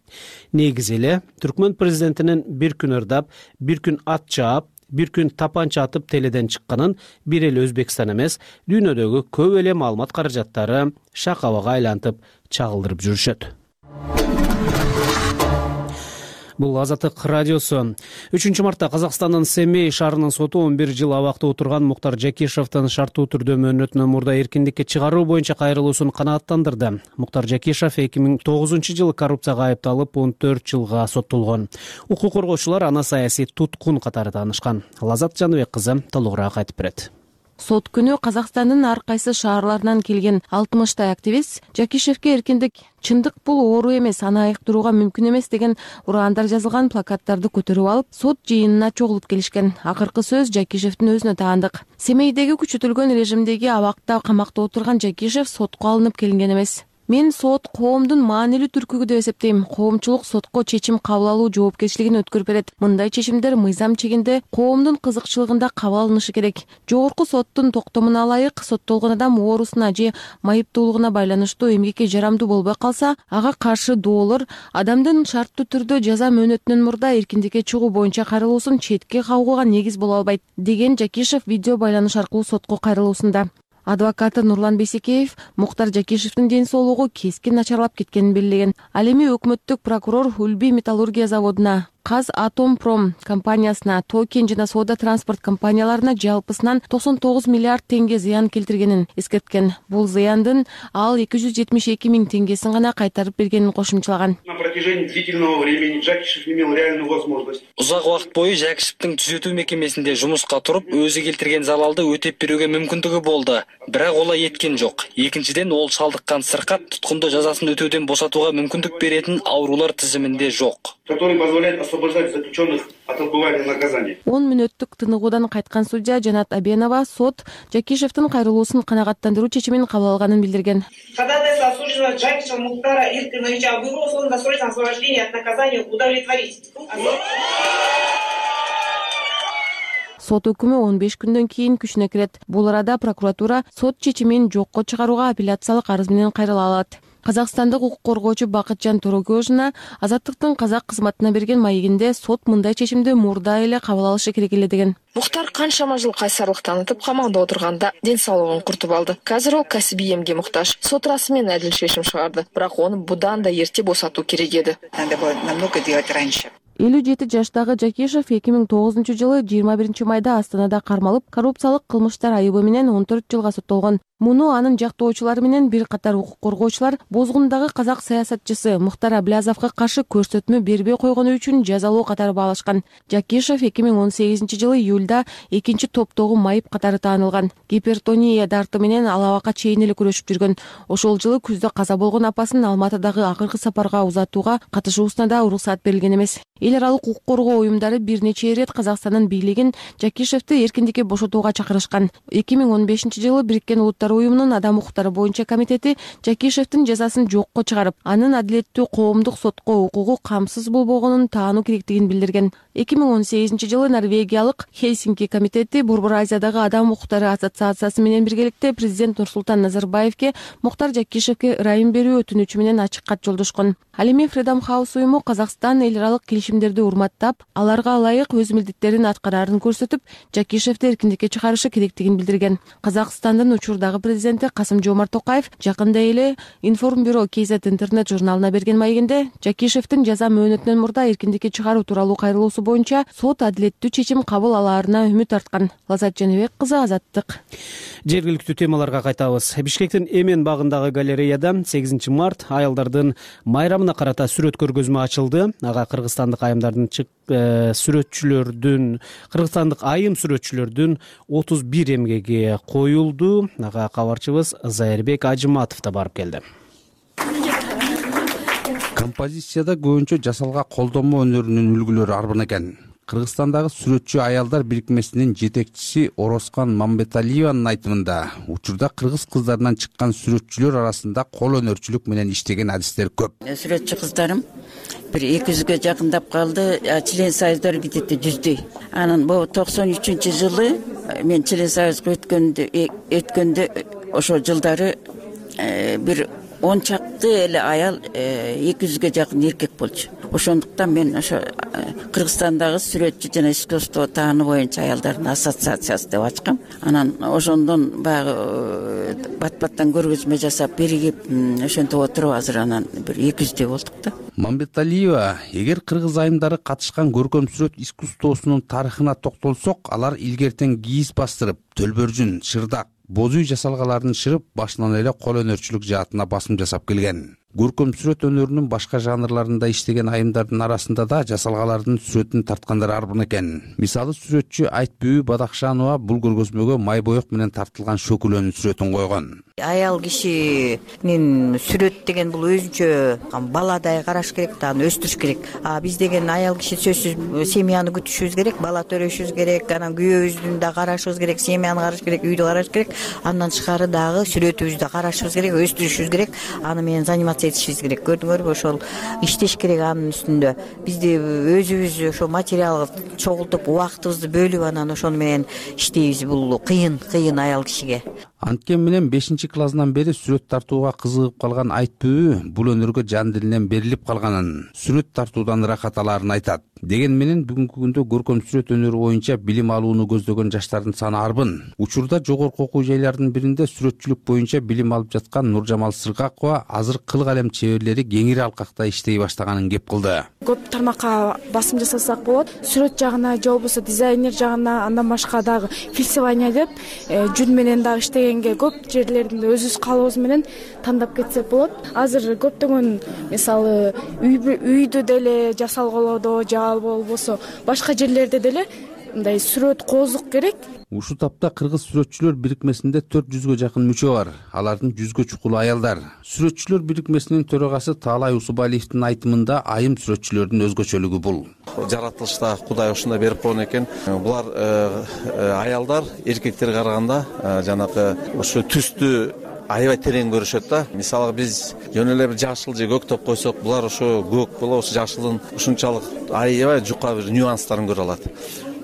Негизи эле түркмөн президентинин бир күн ырдап, бир күн ат чаап, бир күн тапанча атып теледен чыкканын бир эле Өзбекстан эмес, дүйнөдөгү көп эле маалымат каражаттары шакабага айлантып чагылдырып жүрүшөт. Бул Азаттык радиосу. үчүнчү мартта Казакстандын Семей шаарынын соту он бир жыл абакта отурган Муктар Жакишевдин шарттуу түрдө мөөнөтүнөн мурда эркиндикке чыгаруу боюнча кайрылуусун канааттандырды. Муктар Жакишев эки миң тогузунчу жылы коррупцияга айыпталып он төрт жылга соттолгон. Укук коргоочулар аны саясий туткун катары таанышкан. Лазат Жаныбек кызы толугураак айтып берет. Сот күнү Казакстандын ар кайсы шаарларынан келген алтымыштай активист Жакишевке эркиндик чындык бул оору эмес, аны айыктырууга мүмкүн эмес деген ураандар жазылган плакаттарды көтөрүп алып, сот жыйынына чогулуп келишкен. Акыркы сөз Жакишевдин өзүнө таандык. Семейдеги күчөтүлгөн режимдеги абакта камакта отурган Жакишев сотко алынып келинген эмес. Мен сот коомдун маанилүү түркүгү деп эсептейм. Коомчулук сотко чечим кабыл алуу жоопкерчилигин өткөрүп берет. Мындай чечимдер мыйзам чегинде коомдун кызыкчылыгында кабыл алынышы керек. Жогорку соттун токтомуна ылайык соттолгон адам оорусуна же майыптуулугуна байланыштуу эмгекке жарамдуу болбой калса, ага каршы доолор адамдын шарттуу түрдө жаза мөөнөтүнөн мурда эркиндикке чыгуу боюнча кайрылуусун четке кагууга негиз боло албайт, деген Жакишев видео байланыш аркылуу сотко кайрылуусунда. Адвокаты Нурлан Бейсекеев Муктар Жакишевдин ден соолугу кескин начарлап кеткенин белгилеген. Ал эми өкмөттүк прокурор Үлби металлургия заводуна, Казатомпром компаниясына, Токен жана Соода транспорт компанияларына жалпысынан токсон тогуз миллиард теңге зыян келтиргенин эскерткен. Бул зыяндын ал эки жүз жетимиш эки миң теңгесин гана кайтарып бергенин кошумчалаган. На протяжении длительного времени Жакишев имел реальную возможность. Узак убакыт бою Жакишевдин түзөтүү мекемесинде жумуска туруп, өзү келтирген залалды өтөп берүүгө мүмкүндүгү болду. Бирок ол эткен жок. Экинчиден, ол шалдыккан сыркат туткундо жазасын өтөөдөн бошотууга мүмкүндүк беретін аурулар тизиминде жок. Который позволяет освобождать заключенных от отбывания наказания. он мүнөттүк тыныгуудан кайткан судья Жанат Абенова сот Жакишевдин кайрылуусун канагаттандыруу чечимин кабыл алганын билдирген. Ходатайство осужденного Жакишева Муктара Иркиновича об его условно-досрочном освобождении от наказания удовлетворить. Сот өкүмү он беш күндөн кийин күчүнө кирет. Бул арада прокуратура сот чечимин жокко чыгарууга апелляциялык арыз менен кайрыла алат. Казакстандык укук коргоочу Бакытжан Торокөжүна Азаттыктын казак кызматына берген маегинде сот мындай чечимди мурда эле кабыл алышы керек эле деген. Муктар канчама жыл кайсарлык танытып камакта отурганда ден соолугун куртуп алды. Азыр ол касибий эмге муктаж. Сот расмын адил чечим чыгарды. Бирок аны будан да эрте босотуу керек эди. Надо было намного делать раньше. элүү жети жаштагы Жакишев эки миң тогузунчу жылы жыйырма биринчи майда Астанада кармалып, коррупциялык кылмыштар айыбы менен он төрт жылга соттолгон. Муну анын жактоочулары менен бир катар укук коргоочулар бозгундагы казак саясатчысы Мухтар Аблязовго каршы көрсөтмө бербей койгону үчүн жазалоо катары баалашкан. Жакишев эки миң он сегизинчи жылы июлда экинчи топтогу майып катары таанылган. Гипертония дарты менен ал абакка чейин эле күрөшүп жүргөн. Ошол жылы күздө каза болгон апасын Алматыдагы акыркы сапарга узатууга катышуусуна да уруксат берилген эмес. Эл аралык укук коргоо уюмдары бир нече ирет Казакстандын бийлигин Жакишевди эркиндикке бошотууга чакырышкан. эки миң он бешинчи жылы Бириккен Улуттар уюмунун адам укуктары боюнча комитети Жакишевдин жазасын жокко чыгарып, анын адилеттүү коомдук сотко укугу камсыз болбогонун таануу керектигин билдирген. эки миң он сегизинчи жылы Норвегиялык Хельсинки комитети Борбор Азиядагы адам укуктары ассоциациясы менен биргеликте президент Нурсултан Назарбаевке Муктар Жакишевке ырайым берүү өтүнүчү менен ачык кат жолдошкон. Ал эми Freedom House уюму Казакстан эл аралык келишимдерди урматтап, аларга ылайык өз милдеттерин аткараарын көрсөтүп, Жакишевди эркиндикке чыгарышы керектигин билдирген. Казакстандын учурдагы президенти Касым-Жомарт Токаев жакында эле Информбюро кей зет интернет журналына берген маегинде Жакишевдин жаза мөөнөтүнөн мурда эркиндикке чыгаруу тууралуу кайрылуусу боюнча сот адилеттүү чечим кабыл алаарына үмүт арткан. Лазат Жаныбек кызы, Азаттык. Жергиликтүү темаларга кайтабыз. Бишкектин Эмен багындагы галереяда сегизинчи март аялдардын майрамына карата сүрөт көргөзмө ачылды. Ага кыргызстандык айымдардын сүрөтчүлөрдүн кыргызстандык айым сүрөтчүлөрдүн отуз бир эмгеги коюлду. Ага кабарчыбыз Зайырбек Ажыматов да барып келди. Композицияда көбүнчө жасалга колдонмо өнөрүнүн үлгүлөрү арбын экен. Кыргызстандагы сүрөтчү аялдар бирикмесинин жетекчиси Орозкан Мамбеталиеванын айтымында, учурда кыргыз кыздарынан чыккан сүрөтчүлөр арасында кол өнөрчүлүк менен иштеген адистер көп. Сүрөтчү кыздарым бир эки жүзгө жакындап калды, член союздар битетти жүздөй. Анан бул токсон үчүнчү жылы мен член союзга өткөндө өткөндө ошо жылдары бир он чакты эле аял эки жүзгө жакын эркек болчу. Ошондуктан мен ошо Кыргызстандагы сүрөтчү жана искусство тааны боюнча аялдардын ассоциациясы деп ачкам. Анан ошондон баягы бат-баттан көргөзмө жасап биригип ошентип отуруп азыр анан бир эки жүздөй болдук да. Мамбеталиева, эгер кыргыз айымдары катышкан көркөм сүрөт искусствосунун тарыхына токтолсок, алар илгертен кийиз бастырып, төлбөржүн, шырдак, боз үй жасалгаларын шырып, башынан эле кол өнөрчүлүк жаатына басым жасап келген. Көркөм сүрөт өнөрүнүн башка жанрларында иштеген айымдардын арасында да жасалгалардын сүрөтүн тарткандар арбын экен. Мисалы, сүрөтчү Айтбүү Бадакшанова бул көргөзмөгө май боек менен тартылган шөкүлөнүн сүрөтүн койгон. Аял кишинин сүрөт деген бул өзүнчө баладай караш керек, аны өстүрүш керек. А биз деген аял киши сөзсүз семьяны күтүшүбүз керек, бала төрөшүбүз керек, анан күйөөбүздүн да карашыбыз керек, семьяны караш керек, үйдү караш керек. Андан тышкары дагы сүрөтүбүздү карашыбыз керек, өстүрүшүбүз керек. Аны менен заниматься этишибиз керек. Көрдүңөрбү, ошол иштеш керек анын үстүндө. Бизди өзүбүз ошо материалга чогултуп, убактыбызды бөлүп анан ошону менен иштейбиз. Бул кыйын, кыйын аял кишиге. Анткен менен бешинчи классынан бери сүрөт тартууга кызыгып калган Айтбүү бул өнөргө жан дилинен берилип калганын, сүрөт тартуудан ырахат алаарын айтат. Деген менен бүгүнкү күндө көркөм сүрөт өнөрү боюнча билим алууну көздөгөн жаштардын саны арбын. Учурда жогорку окуу жайлардын биринде сүрөтчүлүк боюнча билим алып жаткан Нуржамал Сыргакова азыр кыл калем чеберлери кеңири алкакта иштей баштаганын кеп кылды. Көп тармакка басым жасасак болот. Сүрөт жагына же болбосо дизайнер жагына, андан башка дагы фельдование деп жүн менен дагы иштегенге көп жерлерин өзүбүз калыбыбыз менен тандап кетсек болот. Азыр көптөгөн мисалы үйдү деле жасалгалоодо же болбосо башка жерлерде деле мындай сүрөт коозук керек. Ушул тапта кыргыз сүрөтчүлөр бирикмесинде төрт жүзгө жакын мүчө бар. Алардын жүзгө чукул аялдар. Сүрөтчүлөр бирикмесинин төрагасы Таалай Усубалиевдин айтымында айым сүрөтчүлөрдүн өзгөчөлүгү бул. Жаратылышта Кудай ушундай берип койгон экен. Булар аялдар эркектерге караганда жанагы ошо түстү аябай терең көрүшөт да. Мисалы биз жөн эле бир жашыл же көк топ койсок, булар ошо көк боло, ошо жашылдын ушунчалык аябай жука бир нюанстарын көрө алат.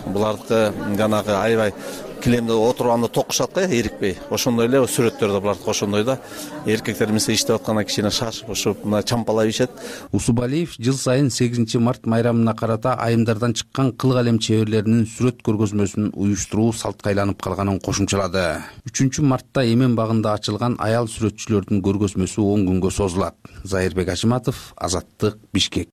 Булардыкы жанагы аябай килемде отурганда токушат го, эрикпей. Ошондой эле сүрөттөрдө булардыкы ошондой да. Эркектер мисалы иштеп атканда кичине шашып, ошо мына чампалап ишет. Усубалиев жыл сайын сегизинчи март майрамына карата айымдардан чыккан кыл калем чеберлеринин сүрөт көргөзмөсүн уюштуруу салтка айланып калганын кошумчалады. үчүнчү мартта Эмен багында ачылган аял сүрөтчүлөрдүн көргөзмөсү он күнгө созулат. Зайырбек Ажыматов, Азаттык, Бишкек.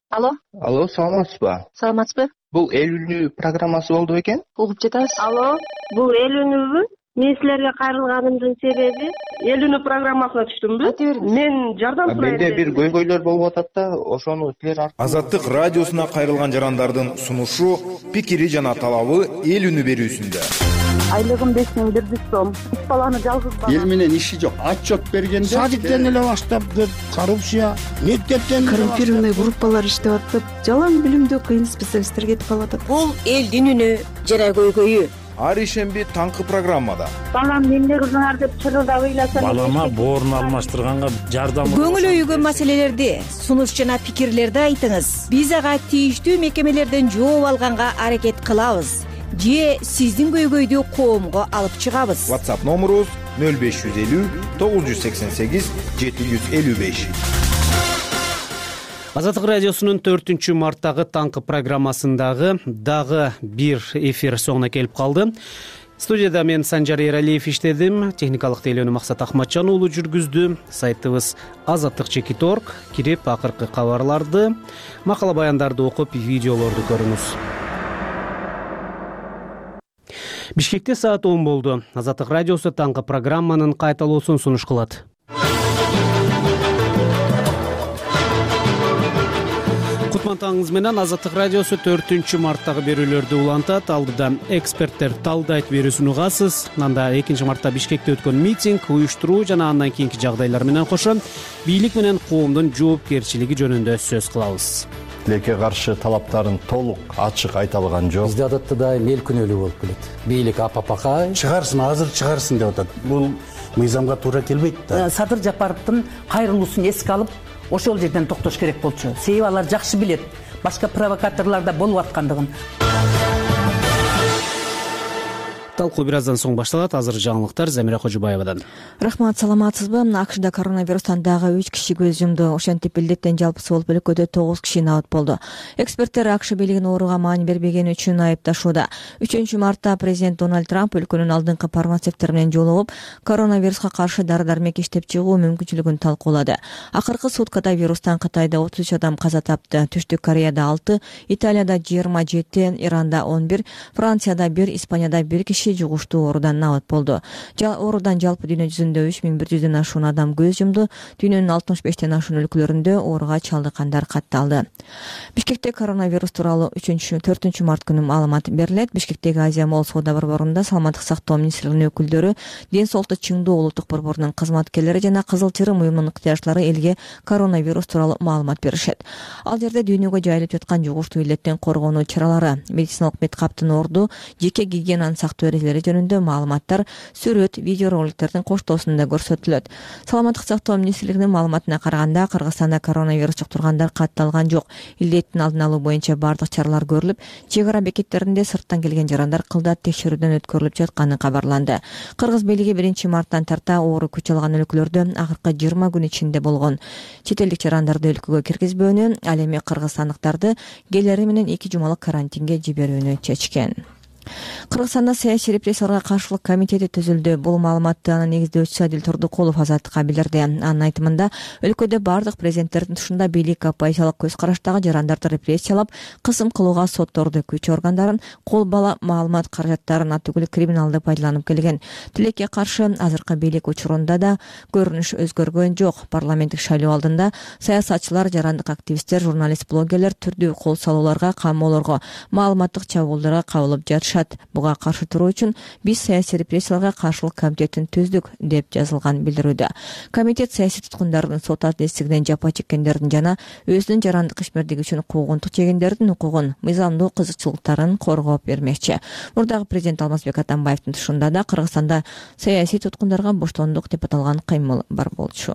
Алло. Алло, саламатсызбы? Саламатсызбы? Бул эл үнү программасы болду бекен? Угуп жатабыз. Алло, бул эл үнүбү? Мен силерге кайрылганымдын себеби эл үнү программасына түштүмбү? Мен жардам сурайм. Менде бир көйгөйлөр болуп атат да, ошону силер аркылуу. Азаттык радиосуна кайрылган жарандардын сунушу, пикири жана талабы эл үнү берүүсүндө. Айлыгым беш миң бир жүз сом. Үч баланы жалгыз бала. Эл менен иши жок. Отчет бергенде садиктен эле баштап коррупция, мектептен коррумпированный группалар иштеп атып, жалаң билимдүү кыйын специалисттер кетип калып атат. Бул элдин үнү жана көйгөйү. ар ишемби таңкы программада. Балам эмне кылдыңар деп чырылдап ыйласам, балама боорун алмаштырганга жардам. Көңүл өйгөн маселелерди, сунуш жана пикирлерди айтыңыз. Биз ага тийиштүү мекемелерден жооп алганга аракет кылабыз же сиздин көйгөйдү коомго алып чыгабыз. WhatsApp номерубуз нөл беш жүз элүү тогуз жүз сексен сегиз жети жүз элүү беш. Азаттык радиосунун төртүнчү марттагы таңкы программасындагы дагы бир эфир соңуна келип калды. Студияда мен Санжар Эралиев иштедим, техникалык тейлөөнү Максат Ахматжан уулу жүргүздү. Сайтыбыз азаттык чекит точка орг. Кирип акыркы кабарларды, макала баяндарды окуп, видеолорду көрүңүз. Бишкекте саат он болду. Азаттык радиосу таңкы программанын кайталоосун сунуш кылат. Кутман менен Азаттык радиосу төртүнчү марттагы берүүлөрдү улантат. Алдыда эксперттер талдайт берүүсүн угасыз. Анда экинчи мартта Бишкекте өткөн митинг, уюштуруу жана андан кийинки жагдайлар менен кошо бийлик менен коомдун жоопкерчилиги жөнүндө сөз кылабыз. Тилекке каршы талаптарын толук ачык айта алган жок. Бизде адатта дайым эл күнөөлүү болуп келет. Бийлик апапака чыгарсын, азыр чыгарсын деп атат. Бул мыйзамга туура келбейт да. Садыр Жапаровдун кайрылуусун эске алып, ошол жерден токтош керек болчу. Себеби алар жакшы билет башка провокаторлор да болуп аткандыгын. Талкуу бир аздан соң башталат. Азыр жаңылыктар Замира Кожубаевадан. Рахмат, саламатсызбы? акшда коронавирустан дагы үч киши көз жумду. Ошентип илдеттен жалпысы болуп өлкөдө тогуз киши набат болду. Эксперттер акш бийлигин ооруга маани бербегени үчүн айыпташууда. үчүнчү мартта президент Дональд Трамп өлкөнүн алдыңкы фармацевттер менен жолугуп, коронавируска каршы дары-дармек иштеп чыгуу мүмкүнчүлүгүн талкуулады. Акыркы суткада вирустан Кытайда отуз үч адам каза тапты. Түштүк Кореяда алты, Италияда жыйырма жети, Иранда он бир, Францияда бир, Испанияда бир киши жугуштуу оорудан набат болду. Оорудан жалпы дүйнө жүзүндө үч миң бир жүздөн ашуун адам көз жумду. Дүйнөнүн алтымыш бештен ашуун өлкөлөрүндө ооруга чалдыккандар катталды. Бишкекте коронавирус тууралуу үчүнчү төртүнчү март күнү маалымат берилет. Бишкектеги Азия Молл соода борборунда саламаттык сактоо министрлигинин өкүлдөрү, ден соолукту чыңдоо улуттук борборунун кызматкерлери жана Кызыл Чырым уюмунун ыктыярчылары элге коронавирус тууралуу маалымат беришет. Ал жерде дүйнөгө жайылып жаткан жугуштуу илдеттен коргонуу чаралары, медициналык меткаптын орду, жеке гигиенаны сактоо жөнүндө маалыматтар сүрөт, видео роликтердин коштоосунда көрсөтүлөт. Саламаттык сактоо министрлигинин маалыматына караганда, Кыргызстанда коронавирус жуктургандар катталган жок. Илдеттин алдын алуу боюнча бардык чаралар көрүлүп, чек ара бекеттеринде сырттан келген жарандар кылдат текшерүүдөн өткөрүлүп жатканы кабарланды. Кыргыз бийлиги биринчи марттан тарта оору күч алган өлкөлөрдө акыркы жыйырма күн ичинде болгон чет элдик жарандарды өлкөгө киргизбөөнү, ал эми кыргызстандыктарды келери менен эки жумалык карантинге жиберүүнү чечкен. Кыргызстанда саясий репрессияларга каршылык комитети түзүлдү. Бул маалыматты анын негиздөөчүсү Адил Турдукулов Азаттыкка билдирди. Анын айтымында, өлкөдө бардык президенттердин тушунда бийлик оппозициялык көз караштагы жарандарды репрессиялап, кысым кылууга сотторду, күч органдарын, кол бала маалымат каражаттарын атүгүл криминалды пайдаланып келген. Тилекке каршы азыркы бийлик учурунда да көрүнүш өзгөргөн жок. Парламенттик шайлоо алдында саясатчылар, жарандык активисттер, журналист, блогерлер түрдүү кол салууларга, камоолорго, маалыматтык чабуулдарга кабылып жатышат. Буга каршы туруу үчүн биз саясий репрессияларга каршылык комитетин түздүк деп жазылган билдирүүдө. Комитет саясий туткундардын сот адилеттигинен жапа чеккендердин жана өзүнүн жарандык ишмердиги үчүн куугунтук жегендердин укугун, мыйзамдуу кызыкчылыктарын коргоп бермекчи. Мурдагы президент Алмазбек Атамбаевдин тушунда да Кыргызстанда саясий туткундарга боштондук деп аталган кыймыл бар болчу.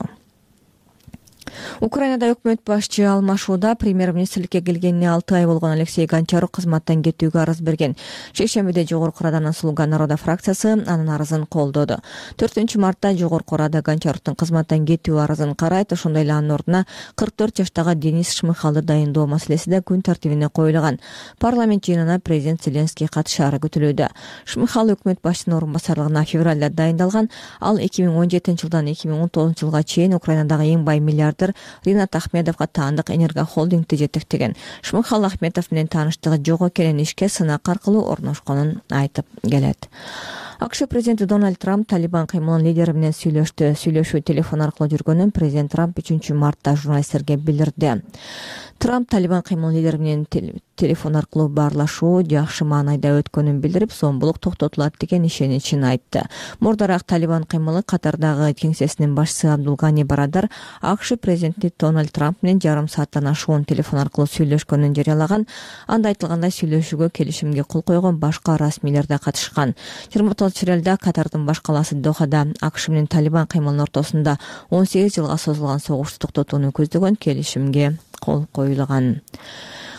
Украинада өкмөт башчы алмашууда. Премьер-министрликке келгенине алты ай болгон Алексей Гончарук кызматтан кетүүгө арыз берген. Шейшембиде Жогорку Раданын Слуга народа фракциясы анын арызын колдоду. төртүнчү мартта Жогорку Рада Гончаруктун кызматтан кетүү арызын карайт. Ошондой эле анын ордуна кырк төрт жаштагы Денис Шмыхалды дайындоо маселеси да күн тартибине коюлган. Парламент жыйынына президент Зеленский катышаары күтүлүүдө. Шмыхал өкмөт башчысынын орун басарлыгына февралда дайындалган. Ал эки миң он жетинчи жылдан эки миң он тогузунчу жылга чейин Украинадагы эң бай миллиардер Ринат Ахмедовго таандык Энерго холдингди жетектеген. Шмыхал Ахметов менен тааныштыгы жок экенин ишке сынак аркылуу орношконун айтып келет. АКШ президенти Дональд Трамп Талибан кыймылынын лидери менен сүйлөштү. Сүйлөшүү телефон аркылуу жүргөнүн президент Трамп үчүнчү мартта журналисттерге билдирди. Трамп Талибан кыймылынын лидери менен телефон аркылуу баарлашуу жакшы маанайда өткөнүн билдирип, зомбулук токтотулат деген ишеничин айтты. Мурдараак Талибан кыймылы катардагы кеңсесинин башчысы Абдулгани Барадар АКШ президенти Дональд Трамп менен жарым сааттан ашуун телефон аркылуу сүйлөшкөнүн жарыялаган. Анда айтылгандай сүйлөшүүгө келишимге кол койгон башка расмийлер да катышкан. жыйырма тогузунчу июлда Катардын баш калаасы Дохада АКШ менен Талибан кыймылынын ортосунда он сегиз жылга созулган согушту токтотууну көздөгөн келишимге кол коюлган.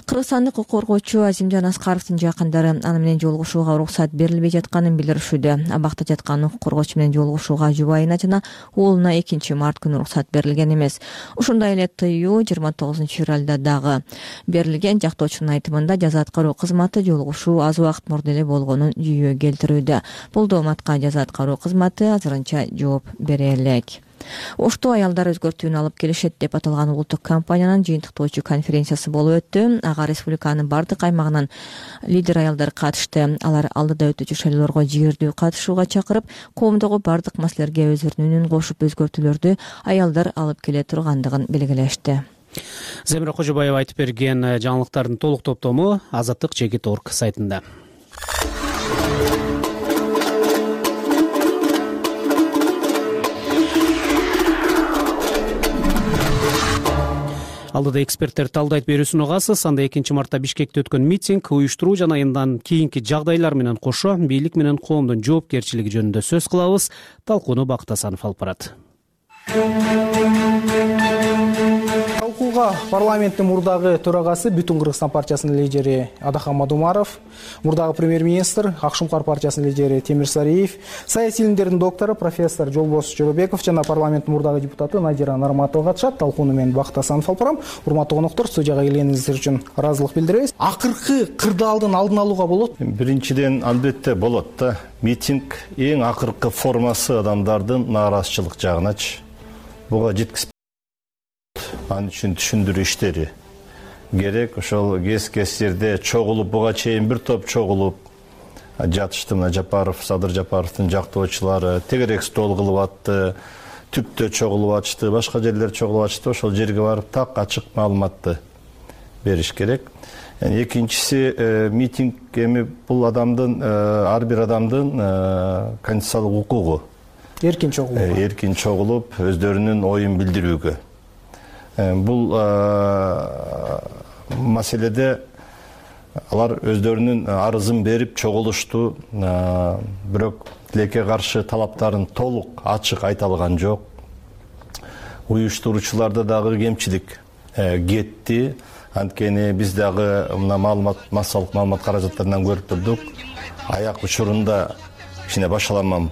Кыргызстандык укук коргоочу Азимжан Аскаровдун жакындары аны менен жолугушууга уруксат берилбей жатканын билдиришүүдө. Абакта жаткан укук коргоочу менен жолугушууга жубайына жана уулуна экинчи март күнү уруксат берилген эмес. Ушундай эле тыюу жыйырма тогузунчу февралда дагы берилген. Жактоочунун айтымында жаза аткаруу кызматы жолугушуу аз убакыт мурда эле болгонун жүйө келтирүүдө. Бул дооматка жаза аткаруу кызматы азырынча жооп бере элек. Ошту аялдар өзгөртүүнү алып келишет деп аталган улуттук компаниянын жыйынтыктоочу конференциясы болуп өттү. Ага республиканын бардык аймагынан лидер аялдар катышты. Алар алдыда өтүүчү шайлоолорго жигердүү катышууга чакырып, коомдогу бардык маселелерге өздөрүнүн үнүн кошуп өзгөртүүлөрдү аялдар алып келе тургандыгын белгилешти. Земира Кожобаева айтып берген жаңылыктардын толук топтому азаттык чекит точка орг сайтында. Алдыда эксперттер талдайт берүүсүн угасыз. Анда экинчи мартта Бишкекте өткөн митинг, уюштуруу жана андан кийинки жагдайлар менен кошо бийлик менен коомдун жоопкерчилиги жөнүндө сөз кылабыз. Талкууну Бакыт Асанов алып барат. Талкууга парламенттин мурдагы төрагасы Бүтүн Кыргызстан партиясынын лидери Адахан Мадумаров, мурдагы премьер-министр Ак Шумкар партиясынын лидери Темир Сариев, саясий илимдердин доктору профессор Жолбос Жоробеков жана парламенттин мурдагы депутаты Надира Нарматова катышат. Талкууну мен Бакыт Асанов алып барам. Урматтуу коноктор, студияга келгениңиздер үчүн ыраазылык билдиребиз. Акыркы кырдаалдын алдын алууга болот? Биринчиден албетте болот да. Митинг эң акыркы формасы адамдардын нааразычылык жагыначы. Буга жеткиз Анын үчүн түшүндүрүү иштери керек. Ошол кез-кез жерде чогулуп, буга чейин бир топ чогулуп жатышты. Мына Жапаров, Садыр Жапаровдун жактоочулары тегерек стол кылып атты, түптө чогулуп атышты, башка жерлер чогулуп атышты. Ошол жерге барып так ачык маалыматты бериш керек. Экинчиси, митинг эми бул адамдын, ар бир адамдын конституциялык укугу. Эркин чогулууга. Эркин чогулуп, өздөрүнүн оюн билдирүүгө. Бул маселеде алар өздөрүнүн арызын берип чогулушту, бирок тилекке каршы талаптарын толук ачык айта алган жок. Уюштуруучуларда дагы кемчилик кетти. Анткени биз дагы мына маалымат, массалык маалымат каражаттарынан көрүп турдук. Аяк учурунда кичине башаламам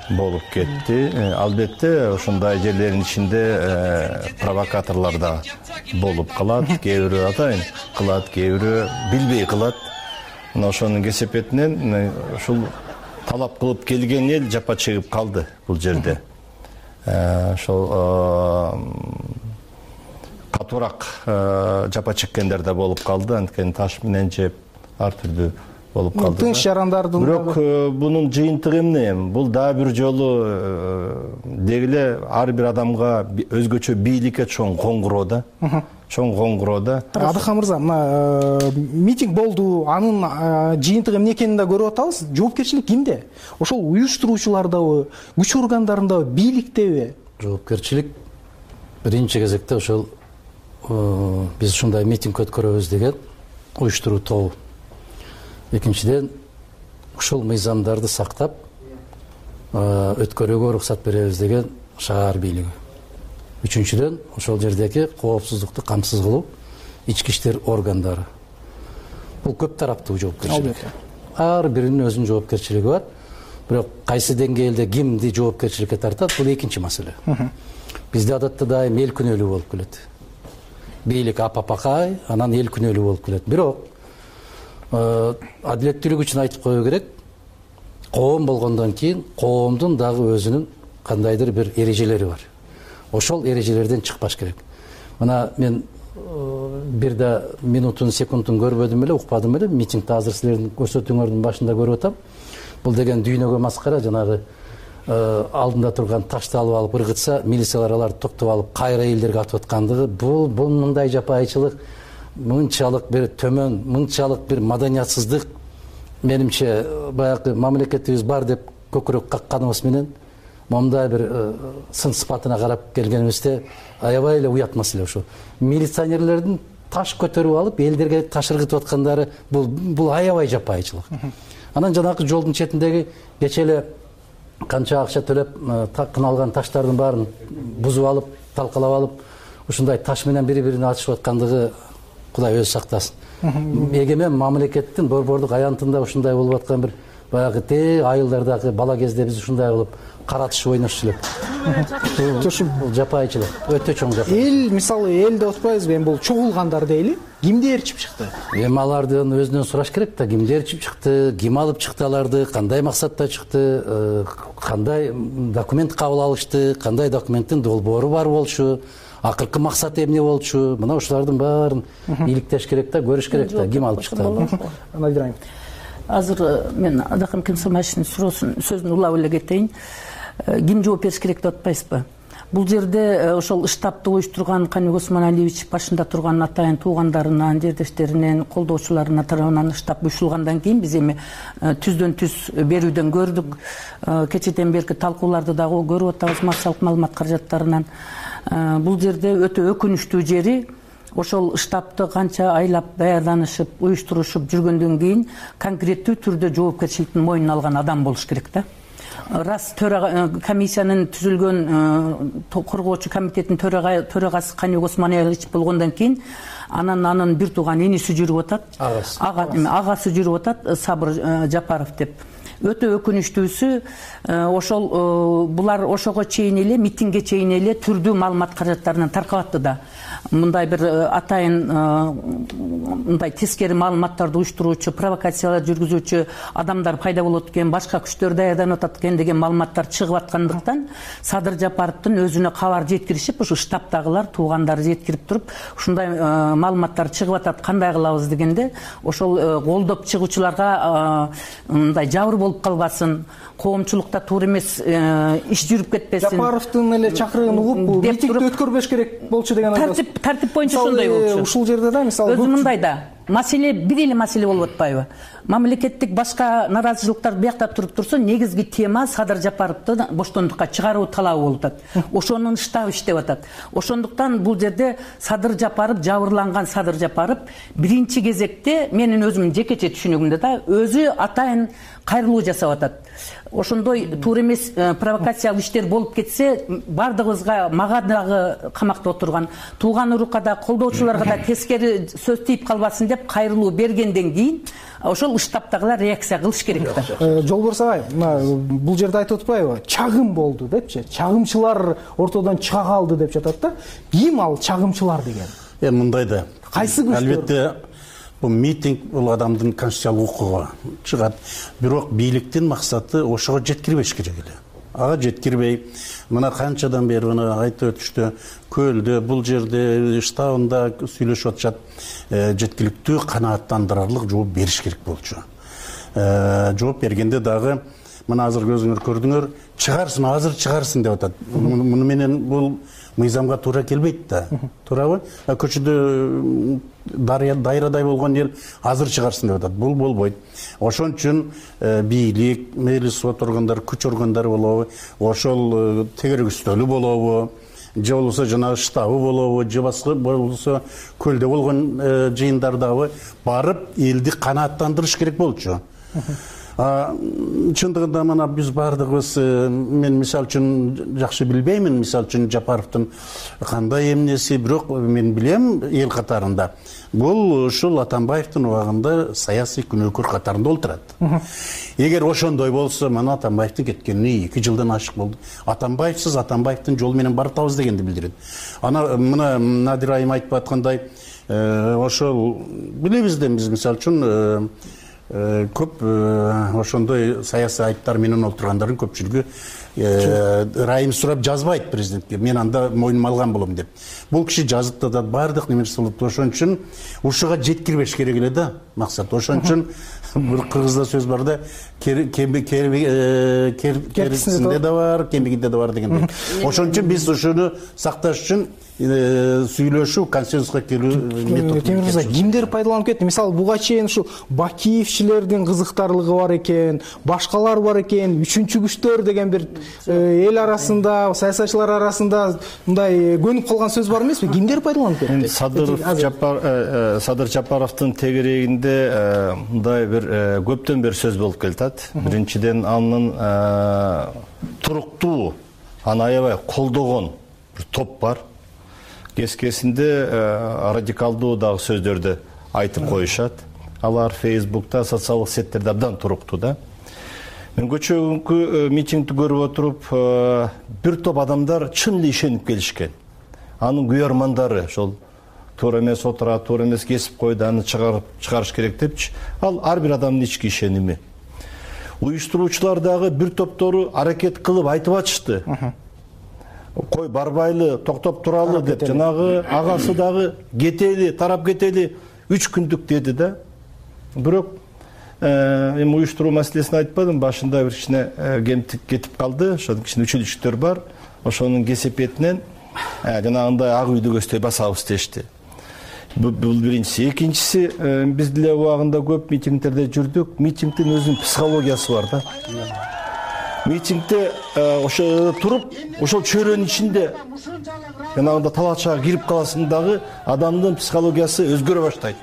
болуп кетти. Албетте ошондой жерлердин ичинде провокаторлор да болуп калат. Кээ бирөө атайын кылат, кээ бирөө билбей кылат. Мына ошонун кесепетинен ушул талап кылып келген эл жапа чегип калды бул жерде. Ошол катуураак жапа чеккендер да болуп калды. Анткени таш менен жеп ар түрдүү болуп калды. Тынч жарандардын бирок бунун жыйынтыгы эмне? Бул дагы бир жолу дегиле ар бир адамга өзгөчө бийликке чоң коңгуроо да. Чоң коңгуроо да. Адахан мырза, мына митинг болду, анын жыйынтыгы эмне экенин да көрүп атабыз. Жоопкерчилик кимде? Ошол уюштуруучулардабы, күч органдарындабы, бийликтеби? Жоопкерчилик биринчи кезекте ошол биз ушундай митинг өткөрөбүз деген уюштуруу тобу. Экинчиден, ушул мыйзамдарды сактап өткөрүүгө уруксат беребиз деген шаар бийлиги. Үчүнчүдөн, ошол жердеги коопсуздукту камсыз кылуу ички иштер органдары. Бул көп тараптуу жоопкерчилик. Ар биринин өзүнүн жоопкерчилиги бар. Бирок кайсы деңгээлде кимди жоопкерчиликке тартат, бул экинчи маселе. Бизде адатта дайым эл күнөөлүү болуп келет. Бийлик апапакай, анан эл күнөөлүү болуп келет. Бирок адилеттүүлүк үчүн айтып коюу керек. Коом болгондон кийин коомдун дагы өзүнүн кандайдыр бир эрежелери бар. Ошол эрежелерден чыкпаш керек. Мына мен бир да минутун секундун көрбөдүм эле, укпадым эле. Митингди азыр силердин көрсөтүүңөрдүн башында көрүп атам. Бул деген дүйнөгө маскара, жанагы алдында турган ташты алып алып ыргытса, милициялар аларды токтоп алып кайра элдерге атып аткандыгы, бул бул мындай жапайычылык, мынчалык бир төмөн, мынчалык бир маданиятсыздык, менимче баягы мамлекетибиз бар деп көкүрөк какканыбыз менен момундай бир сын сыпатына карап келгенибизде аябай эле уят маселе ушу. Милиционерлердин таш көтөрүп алып элдерге таш ыргытып аткандары бул бул аябай жапайычылык. Анан жанагы жолдун четиндеги кече эле канча акча төлөп кыналган таштардын баарын бузуп алып, талкалап алып, ушундай таш менен бири-бирине атышып аткандыгы Кудай өзү сактасын. Эгемен мамлекеттин борбордук аянтында ушундай болуп аткан бир баягы те айылдардагы бала кезде биз ушундай кылып каратыш ойношчу элек. Бул жапайычылык, өтө чоң жапайычылык. Эл, мисалы, эл деп атпайбызбы, эми бул чогулгандар дейли. Кимдер чип чыкты? Эми алардын өзүнөн сураш керек да, кимдер чип чыкты, ким алып чыкты аларды, кандай максатта чыкты, кандай документ кабыл алышты, кандай документтин долбоору бар болчу, акыркы максаты эмне болчу, мына ушулардын баарын иликтеш керек да, көрүш керек да, ким алып чыкты. Анайдырайм. Азыр мен Адакым Кемсомашевдин суроосун сөзүн улап эле кетейин. Ким жооп бериш керек деп атпайсызбы? Бул жерде ошол штабты оюштурган Каныбек Осмоналиевич башында турган атайын туугандарынан, жердештеринен, колдоочуларына тарабынан штаб уюштурулгандан кийин биз эми түздөн түз берүүдөн көрдүк. Кечеден берки талкууларды дагы көрүп атабыз массалык маалымат каражаттарынан. Бул жерде өтө өкүнүчтүү жери ошол штабты канча айлап даярданышып, уюштурушуп жүргөндөн кийин конкреттүү түрдө жоопкерчиликтин мойнуна алган адам болуш керек да. Раз комиссиянын түзүлгөн коргоочу комитеттин төрагасы Каныбек Осмоналиевич болгондон кийин анан анын бир тууган иниси жүрүп атат. Агасы жүрүп атат, Сабыр Жапаров деп. Өтө өкүнүчтүүсү ошол булар ошого чейин эле, митингге чейин эле түрдүү маалымат каражаттарынан таркап атты да. Мындай бир атайын мындай тескери маалыматтарды уюштуруучу, провокациялар жүргүзүүчү адамдар пайда болот экен, башка күчтөр даярданып атат экен деген маалыматтар чыгып аткандыктан Садыр Жапаровдун өзүнө кабар жеткиришип, ушу штабтагылар, туугандары жеткирип туруп, ушундай маалыматтар чыгып атат, кандай кылабыз дегенде, ошол колдоп чыгуучуларга мындай жабыр болуп калбасын, коомчулукта туура эмес иш жүрүп кетпесин. Жапаровдун эле чакырыгын угуп, митингди өткөрбөш керек болчу деген айтасыз. Тартип боюнча ошондой болчу. Ушул жерде да мисалы өзү мындай да маселе бир эле маселе болуп атпайбы? Мамлекеттик башка наразычылыктар биякта туруп турса, негизги тема Садыр Жапаровду боштондукка чыгаруу талабы болуп атат. Ошонун штабы иштеп атат. Ошондуктан бул жерде Садыр Жапаров, жабырланган Садыр Жапаров биринчи кезекте менин өзүмдүн жекече түшүнүгүмдө да өзү атайын кайрылуу жасап атат. Ошондой туура эмес провокациялык иштер болуп кетсе, бардыгыбызга, мага дагы камакта отурган тууган урукка да, колдоочуларга да тескери сөз тийип калбасын деп кайрылуу бергенден кийин ошол штабтагылар реакция кылыш керек да. Жолборс агай, мына бул жерде айтып атпайбы? Чагым болду депчи. Чагымчылар ортодон чыга калды деп жатат да. Ким ал чагымчылар деген? Эми мындай да. Кайсы күчтөр? Албетте бул митинг бул адамдын конституциялык укугу чыгат. Бирок бийликтин максаты ошого жеткирбеш керек эле. Ага жеткирбей, мына канчадан бери мына айтып өтүштү, көлдө, бул жерде, штабында сүйлөшүп атышат, жеткиликтүү канааттандырарлык жооп бериш керек болчу. Жооп бергенде дагы мына азыр өзүңөр көрдүңөр, чыгарсын, азыр чыгарсын деп атат. Муну менен бул мыйзамга туура келбейт да. Туурабы? Көчөдө дайрадай болгон эл азыр чыгарсын деп атат. Бул болбойт. Ошон үчүн бийлик, мейли сот органдары, күч органдары болобу, ошол тегерегүстөлү болобу, же болбосо жанагы штабы болобу, же башка болбосо көлдө болгон жыйындардагы барып элди канааттандырыш керек болчу. Чындыгында мына биз бардыгыбыз, мен мисалы үчүн жакшы билбеймин, мисалы үчүн Жапаровдун кандай эмнеси, бирок мен билем эл катарында. Бул ушул Атамбаевдин убагында саясий күнөөкөр катарында олтурат. Эгер ошондой болсо, мына Атамбаевдин кеткенине эки жылдан ашык болду. Атамбаевсиз Атамбаевдин жолу менен баратабыз дегенди билдирет. Ана мына Надир айым айтып аткандай, ошол билебиз да биз мисалы үчүн көп ошондой саясий айыптар менен отургандардын көпчүлүгү ырайым сурап жазбайт президентке, мен анда мойнума алган болом деп. Бул киши жазып атат, баардык немеси болот. Ошон үчүн ушуга жеткирбеш керек эле да максат. Ошон үчүн бир кыргызда сөз бар да, керисинде да бар, кемигинде да бар дегендей. Ошон үчүн биз ушуну сакташ үчүн сүйлөшүү, консенсуска келүү методу. Темир мырза, кимдер пайдаланып кетти? Мисалы, буга чейин ушу Бакиевчилердин кызыктарлыгы бар экен, башкалар бар экен, үчүнчү күчтөр деген бир эл арасында, саясатчылар арасында мындай көнүп калган сөз бар эмеспи? Кимдер пайдаланып кетти? Садыр Жапаровдун тегерегинде мындай бир көптөн бери сөз болуп келатат. Биринчиден, анын туруктуу, аны аябай колдогон бир топ бар. Кескесинде радикалдуу дагы сөздөрдү айтып коюшат. Алар Фейсбукта, социалдык сеттерде абдан туруктуу да. Мен көчөгүнкү митингди көрүп отуруп, бир топ адамдар чын эле ишенип келишкен. Анын күйөрмандары ошол туура эмес отурат, туура эмес кесип койду, аны чыгарып чыгарыш керек депчи. Ал ар бир адамдын ички ишеними. Уюштуруучулар дагы бир топтору аракет кылып айтып атышты. Кой барбайлы, токтоп туралы деп, жанагы агасы дагы кетели, тарап кетели, үч күндүк деди да. Бирок эми уюштуруу маселесин айтпадым, башында бир кичине кемтик кетип калды, ошол кичине үчүлүштөр бар. Ошонун кесепетинен жанагындай ак үйдү көздөй басабыз дешти. Бул биринчиси. Экинчиси, биз деле убагында көп митингдерде жүрдүк. Митингдин өзүнүн психологиясы бар да. Митингде ошо туруп, ошол чөйрөнүн ичинде жанагында талаачага кирип каласың дагы адамдын психологиясы өзгөрө баштайт.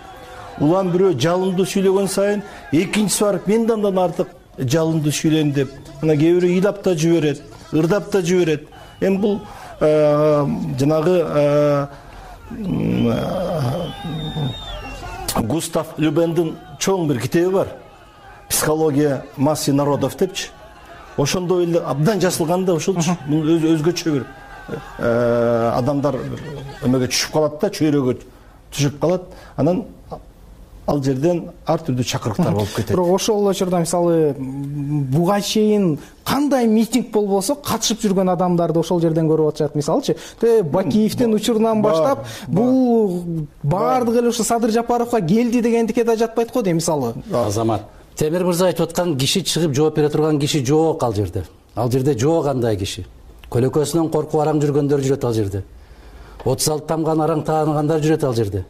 Улам бирөө жалындуу сүйлөгөн сайын, экинчиси барып мен андан артык жалындуу сүйлөйм деп, мына кээ бирөө ыйлап да жиберет, ырдап да жиберет. Эми бул жанагы Густав Любендин чоң бир китеби бар. Психология массы народов депчи. Ошондой эле абдан жазылган да, ошолчу өзгөчө бир адамдар эмеге түшүп калат да, чөйрөгө түшүп калат. Анан ал жерден ар түрдүү чакырыктар болуп кетет. Бирок ошол учурда мисалы буга чейин кандай митинг болбосо катышып жүргөн адамдарды ошол жерден көрүп атышат. Мисалычы, Бакиевдин учурунан баштап бул баардыгы эле ушу Садыр Жапаровго келди дегендикке да жатпайт го дейм мисалы. Азамат, Темир мырза айтып аткан киши чыгып жооп бере турган киши жок ал жерде. Ал жерде жок андай киши. Көлөкөсүнөн коркуп араң жүргөндөр жүрөт ал жерде. отуз алты тамган араң тааныгандар жүрөт ал жерде.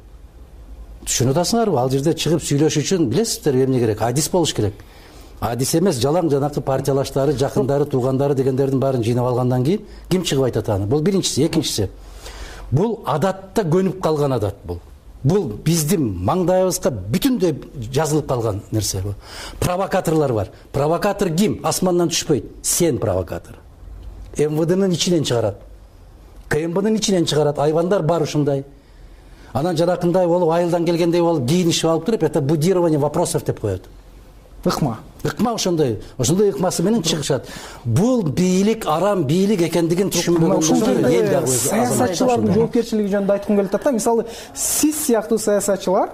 Түшүнүп атасыңарбы? Ал жерде чыгып сүйлөш үчүн билесиздер эмне керек? Адис болуш керек. Адис эмес, жалаң жанакы партиялаштары, жакындары, туугандары дегендердин баарын жыйнап алгандан кийин ким чыгып айтат аны? Бул биринчиси, экинчиси. Бул адатта көнүп калган адат бул. Бул биздин маңдайыбызга бүтүндөй жазылып калган нерсе бул. Провокаторлор бар. Провокатор ким? Асмандан түшпөйт. Сен провокатор. эм вэ дэнин ичинен чыгарат. ка эм бнын ичинен чыгарат. Айвандар бар ушундай. Анан жанакындай болуп, айылдан келгендей болуп, кийинишип алып туруп, это будирование вопросов деп коет. Ыкма. Ыкма ошондой. Ошондой ыкмасы менен чыгышат. Бул бийлик арам бийлик экендигин түшүнбөгөн эл дагы өзү. Саясатчылардын жоопкерчилиги жөнүндө айткым келип атат да. Мисалы, сиз сыяктуу саясатчылар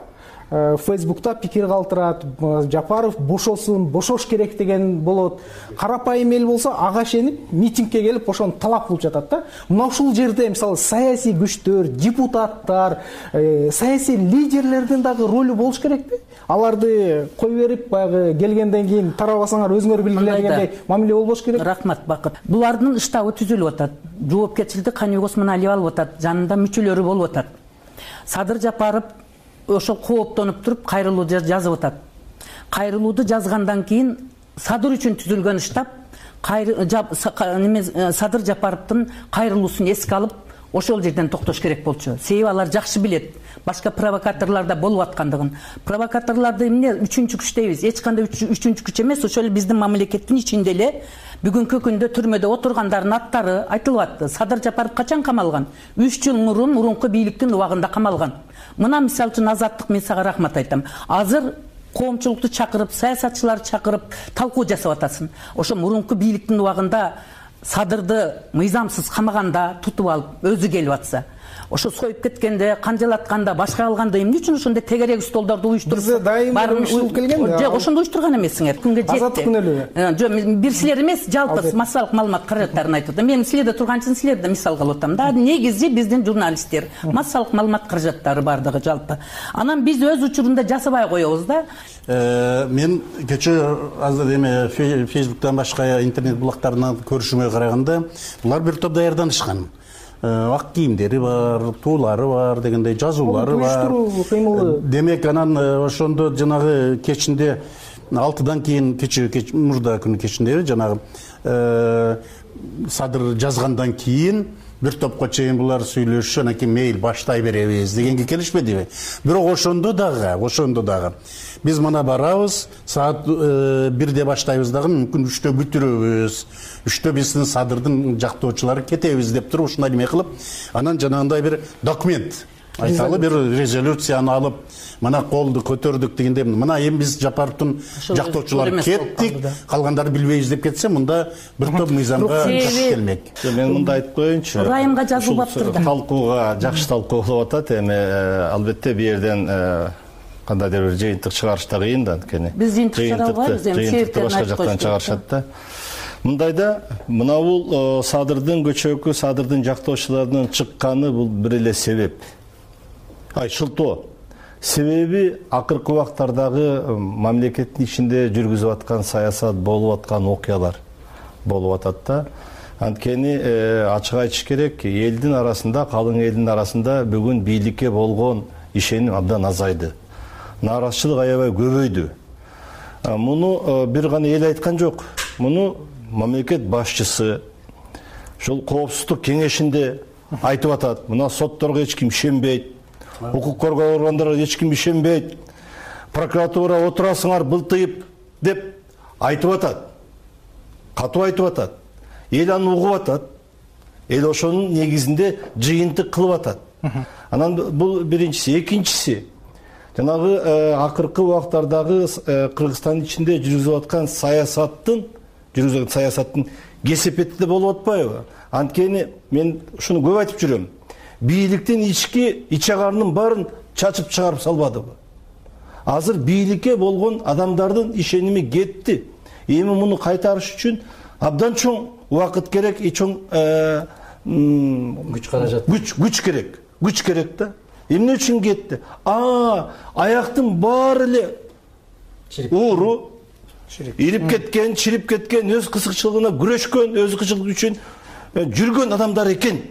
Фейсбукта пикир калтырат, Жапаров бошосун, бошош керек деген болот. Карапайым эл болсо ага ишенип митингге келип ошону талап кылып жатат да. Мына ушул жерде мисалы саясий күчтөр, депутаттар, саясий лидерлердин дагы ролу болуш керекпи? Аларды кой берип, баягы келгенден кийин тарабасаңар өзүңөр билгиле дегендей мамиле болбош керек. Рахмат, Бакыт. Булардын штабы түзүлүп атат. Жоопкерчиликти Каныбек Осмоналиев алып атат, жанында мүчөлөрү болуп атат. Садыр Жапаров ошол кооптонуп туруп кайрылуу жазып атат. Кайрылууду жазгандан кийин Садыр үчүн түзүлгөн штаб Садыр Жапаровдун кайрылуусун эске алып, ошол жерден токтош керек болчу. Себеби алар жакшы билет башка провокаторлордо болуп аткандыгын. Провокаторлорду эмне үчүнчү күч дейбиз? Эч кандай үчүнчү күч эмес, ошол эле биздин мамлекеттин ичинде эле бүгүнкү күндө түрмөдө отургандардын аттары айтылып атты. Садыр Жапаров качан камалган? үч жыл мурун мурунку бийликтин убагында камалган. Мына мисалы үчүн Азаттык, мен сага рахмат айтам. Азыр коомчулукту чакырып, саясатчыларды чакырып талкуу жасап атасың. Ошо мурунку бийликтин убагында Садырды мыйзамсыз камаганда тутуп алып өзү келип атса, ошо союп кеткенде, канжалатканда, башка алганда эмне үчүн ошондой тегерек столдорду уюштуруп бизде дайым уюштурулуп келген да. Жок, ошондо уюштурган эмессиңер. Күнгө жетти. Азаттык күнөөлүгү. Жок, бир силер эмес, жалпы массалык маалымат каражаттарын айтып атам. Мен силерде турган үчүн силерди мисал кылып атам да. Негизи биздин журналисттер, массалык маалымат каражаттары бардыгы жалпы. Анан биз өз учурунда жасабай коебуз да. Мен кечээ азыр эме Facebook'тан башка интернет булактарынан көрүшүмө караганда, булар бир топ даярданышкан. Ак кийимдери бар, туулары бар дегендей жазуулары бар. Демек анан ошондо жанагы кечинде алтыдан кийин кечээ кеч мурда күнү кечинде жанагы садыр жазгандан кийин бир топко чейин булар сүйлөшүп, анан кийин мейли баштай беребиз дегенге келишпедиби? Бирок ошондо дагы, ошондо дагы биз мына барабыз, саат бирде баштайбыз дагы, мүмкүн үчтө бүтүрөбүз. Үчтө биздин садырдын жактоочулары кетебиз деп туруп ушундай эме кылып, анан жанагындай бир документ айталы бир резолюцияны алып, мына колду көтөрдүк дегенде, мына эми биз Жапаровдун жактоочулары кеттик, калгандары билбейбиз деп кетсе, мында бир топ мыйзамга таш келмек. Мен мында айтып коеюнчу. Райымга жазылбаптыр да. Талкууга жакшы талкуу болуп атат. Эми албетте бу жерден кандайдыр бир жыйынтык чыгарыш да кыйын да, анткени. Биз жыйынтык чыгара албайбыз, эми себептерин башка жактан чыгарышат да. Мындайда мына бул садырдын көчөкү, садырдын жактоочуларынын чыкканы бул бир эле себеп. Ай, шылтоо. Себеби акыркы убактардагы мамлекеттин ичинде жүргүзүп аткан саясат, болуп аткан окуялар болуп атат да. Анткени ачык айтыш керек, элдин арасында, калың элдин арасында бүгүн бийликке болгон ишеним абдан азайды. Нааразычылык аябай көбөйдү. Муну бир гана эл айткан жок. Муну мамлекет башчысы ошол коопсуздук кеңешинде айтып атат. Мына сотторго эч ким ишенбейт. Укук коргоо органдарына эч ким ишенбейт. Прокуратура отурасыңар былтыйып деп айтып атат. Катуу айтып атат. Эл аны угуп атат. Эл ошонун негизинде жыйынтык кылып атат. Анан бул биринчиси, экинчиси жанагы акыркы убактардагы Кыргызстандын ичинде жүргүзүп аткан саясаттын, жүргүзүлгөн саясаттын кесепети да болуп атпайбы? Анткени мен ушуну көп айтып жүрөм. Бийликтин ички ичагарынын баарын чачып чыгарып салбадыбы? Азыр бийликке болгон адамдардын ишеними кетти. Эми муну кайтарыш үчүн абдан чоң убакыт керек, чоң күч каражат. Күч, күч керек. Күч керек да. Эмне үчүн кетти? А, аяктын баары эле ууру, ирип кеткен, чирип кеткен, өз кызыкчылыгына күрөшкөн, өз кызыкчылыгы үчүн жүргөн адамдар экен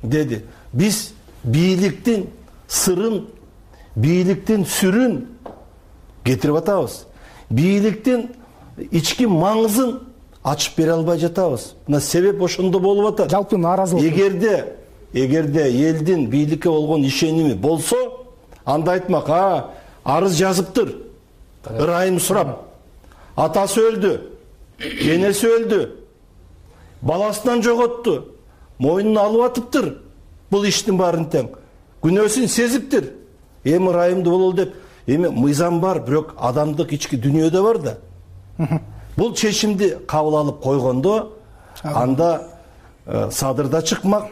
деди. Биз бийликтин сырын, бийликтин сүрүн кетирип атабыз. Бийликтин ички маңызын ачып бере албай жатабыз. Мына себеп ошондо болуп атат. Жалпы нааразылык. Эгерде эгерде элдин бийликке болгон ишеними болсо, анда айтмак, а, арыз жазыптыр. Ырайым сурап. Атасы өлдү, энеси өлдү, баласынан жоготту, мойнун алып атыптыр. Бул иштин баарын тең. Күнөөсүн сезиптир. Эми ырайымды болол деп, эми мыйзам бар, бирок адамдык ички дүйнөдө бар да. Бул чечимди кабыл алып койгондо, анда садырда чыкмак,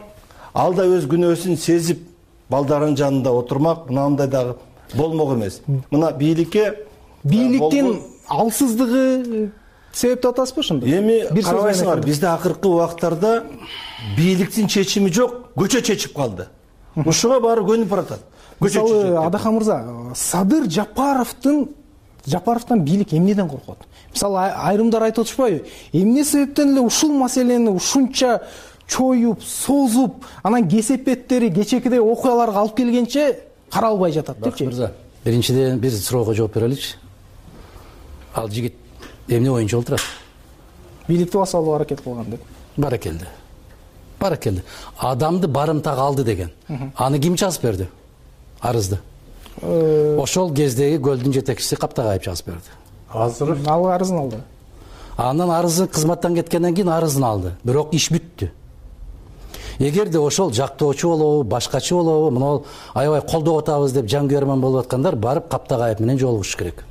ал да өз күнөөсүн сезип, балдарын жанында отурмак, мынандай дагы болмок эмес. Мына бийликке бийликтин алсыздыгы себеп деп атасызбы ошондо? Эми карабайсыңар, бизде акыркы убактарда бийликтин чечими жок, көчө чечип калды. Ушуга баары көнүп баратат. Мисалы, Адахан мырза, Садыр Жапаровдун Жапаровдон бийлик эмнеден коркот? Мисалы, айрымдар айтып атышпайбы? Эмне себептен эле ушул маселени ушунча чоюп, созуп, анан кесепеттери, кечекидей окуяларга алып келгенче каралбай жатат депчи? Мырза, биринчиден бир суроого жооп береличи. Ал жигит эмне боюнча олтурат? Бийликти басып алууга аракет кылган деп. Баракелди. Баракелди. Адамды барымтага алды деген. Аны ким жазып берди? Арызды. Ошол кездеги көлдүн жетекчиси Каптагаев жазып берди. Азыр ал арызын алды. Андан арызы кызматтан кеткенден кийин арызын алды. Бирок иш бүттү. Эгерде ошол жактоочу болобу, башкачы болобу, мына аябай колдоп атабыз деп жангүйөрмөн болуп аткандар барып Каптагаев менен жолугуш керек.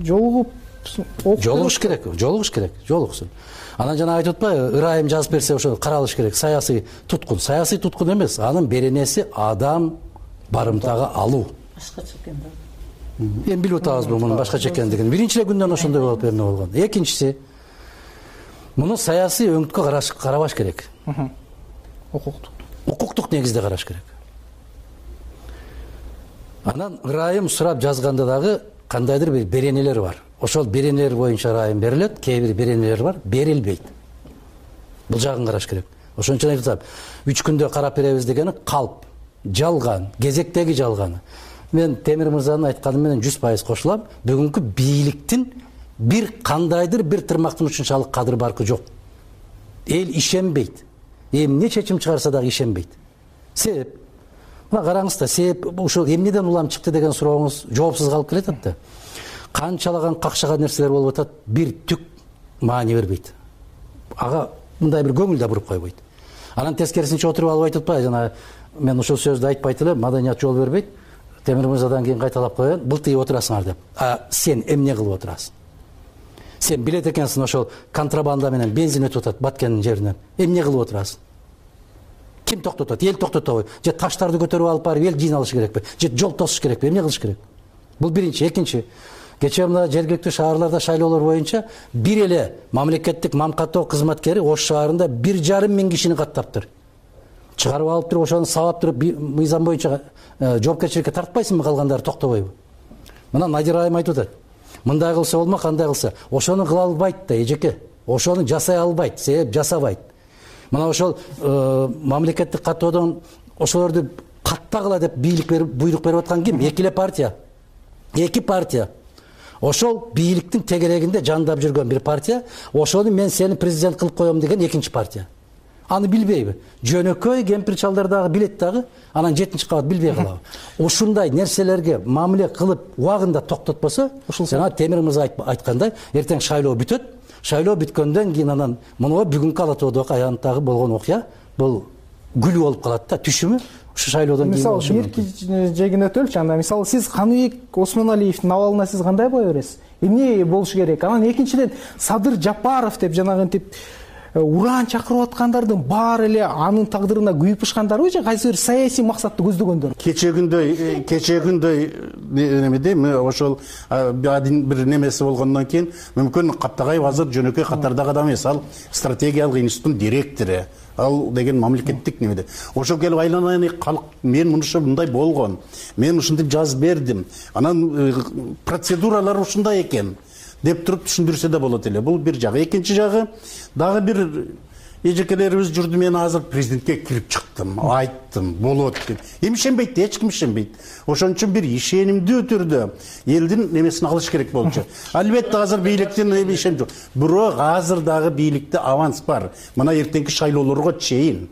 Жолугуп жолугуш керек жолугуш керек жолугсун. Анан жана айтып атпайбы, ырайым жазып берсе ошо каралыш керек. Саясий туткун, саясий туткун эмес, анын беренеси адам барымтага алуу. Башкача экен да. Эми билип атабызбы мунун башкача экендигин. Биринчи эле күндөн ошондой болуп эмне болгон. Экинчиси, муну саясий өңүткө карабаш керек. Укуктук. Укуктук негизде караш керек. Анан ырайым сурап жазганда дагы кандайдыр бир беренелер бар. Ошол беренелер боюнча ырайым берилет, кээ бир беренелер бар, берилбейт. Бул жагын караш керек. Ошон үчүн айтып атам, үч күндө карап беребиз дегени калп, жалган, кезектеги жалганы. Мен Темир мырзанын айтканы менен жүз пайыз кошулам. Бүгүнкү бийликтин бир кандайдыр бир тырмактын ушунчалык кадыр баркы жок. Эл ишенбейт. Эмне чечим чыгарса дагы ишенбейт. Себеп, мына караңыз да, себеп ушул эмнеден улам чыкты деген сурооңуз жоопсуз калып келатат да. Канчалаган какшаган нерселер болуп атат, бир түк маани бербейт. Ага мындай бир көңүл да буруп койбойт. Анан тескерисинче отуруп алып айтып атпайбы, жана мен ушул сөздү айтпайт элем, маданият жол бербейт. Темир мырзадан кийин кайталап коёюн, былтый отурасыңар деп. А сен эмне кылып отурасың? Сен билет экенсиң ошол контрабанда менен бензин өтүп атат Баткендин жеринен. Эмне кылып отурасың? Ким токтотот? Эл токтотобу? Же таштарды көтөрүп алып барып эл жыйналыш керекпи? Же жол тосуш керекпи? Эмне кылыш керек? Бул биринчи. Экинчи, кечээ мына жергиликтүү шаарларда шайлоолор боюнча бир эле мамлекеттик мамкаттоо кызматкери Ош шаарында бир жарым миң кишини каттаптыр. Чыгарып алып туруп ошону сабап туруп мыйзам боюнча жоопкерчиликке тартпайсыңбы, калгандары токтобойбу? Мына Надир айым айтып атат. Мындай кылса болма, кандай кылса. Ошону кыла албайт да эжеке. Ошону жасай албайт, себеп жасабайт. Мына ошол мамлекеттик каттоодон ошолорду каттагыла деп бийлик берип, буйрук берип аткан ким? Эки эле партия. Эки партия. Ошол бийликтин тегерегинде жандап жүргөн бир партия, ошону мен сени президент кылып коем деген экинчи партия. Аны билбейби? Жөнөкөй кемпир чалдар дагы билет дагы, анан жетинчи кабат билбей калабы. Ушундай нерселерге мамиле кылып убагында токтотпосо, жана Темир мырза айткандай, эртең шайлоо бүтөт. Шайлоо бүткөндөн кийин анан муну бүгүнкү Ала Тоодогу аянттагы болгон окуя бул күлүү болуп калат да, түшүмү ушу шайлоодон кийин болушу мүмкүн. Мисалы, бир жегин өтөлчү, анда мисалы сиз Каныбек Осмоналиевдин абалына сиз кандай баа бересиз? Эмне болушу керек? Анан экинчиден Садыр Жапаров деп жанагынтип уран чакырып аткандардын баары эле анын тагдырына күйүп бышкандарбы же кайсы бир саясий максатты көздөгөндөр? Кечегүндөй кечегүндөй немеде ошол бир немеси болгондон кийин мүмкүн Каптагаев азыр жөнөкөй катардагы адам эмес, ал стратегиялык институттун директору, ал деген мамлекеттик немеде. Ошол келип айланайын, калк мен мынуша мындай болгон, мен ушинтип жазып бердим, анан процедуралар ушундай экен деп туруп түшүндүрсө да болот эле. Бул бир жагы. Экинчи жагы дагы бир эжекелерибиз жүрдү, мен азыр президентке кирип чыктым, айттым, болот деп. Эми ишенбейт, эч ким ишенбейт. Ошон үчүн бир ишенимдүү түрдө элдин немесин алыш керек болчу. Албетте азыр бийликтин ишеним жок. Бирок азыр дагы бийликте аванс бар. Мына эртеңки шайлоолорго чейин.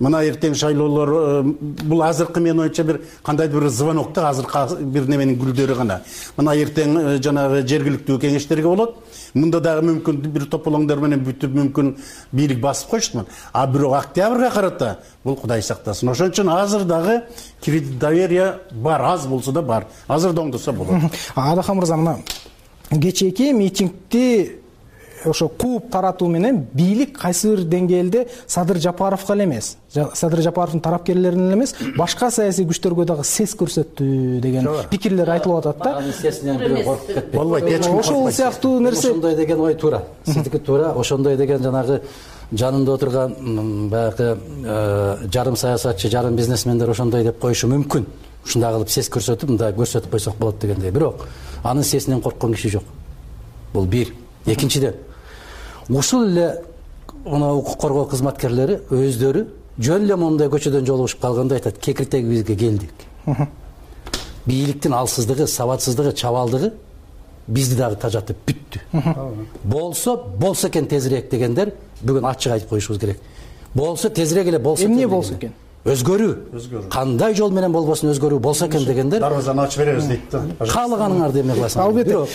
Мына эртең шайлоолор бул азыркы мен оюнча бир кандайдыр бир звонокто азыр бир неменин гүлдөрү гана. Мына эртең жанагы жергиликтүү кеңештерге болот. Мында дагы мүмкүн бир тополоңдор менен бүтүп мүмкүн бийлик басып коюштумун. А бирок октябрга карата бул Кудай сактасын. Ошон үчүн азыр дагы кредит доверие бар, аз болсо да бар. Азыр да оңдосо болот. Адахан мырза, мына кечээки митингди ошо кууп таратуу менен бийлик кайсы бир деңгээлде Садыр Жапаровго эле эмес, Садыр Жапаровдун тарапкерлерине эле эмес, башка саясий күчтөргө дагы сес көрсөттү деген пикирлер айтылып атат да. Анын сесинен бирөө коркуп кетпейт. Болбойт, эч ким ошол сыяктуу нерсе. Ошондой деген ой туура. Сиздики туура. Ошондой деген жанагы жанында отурган баягы жарым саясатчы, жарым бизнесмендер ошондой деп коюшу мүмкүн. Ушундай кылып сес көрсөтүп, мындай көрсөтүп койсок болот дегендей. Бирок анын сесинен корккон киши жок. Бул бир. Экинчиден, ушул эле укук коргоо кызматкерлери өздөрү жөн эле мондай көчөдөн жолугушуп калганда айтат, кекиртегибизге келдик. Бийликтин алсыздыгы, сабатсыздыгы, чабалдыгы бизди дагы тажатып бүттү. Болсо, болсо экен тезирээк дегендер бүгүн ачык айтып коюшубуз керек. Болсо тезирээк эле болсо экен. Эмне болсо экен? Өзгөрүү. Кандай жол менен болбосун өзгөрүү болсо экен дегендер. Дарбазаны ачып беребиз дейт да. Каалаганыңарды эмне кыласыңар? Албетте.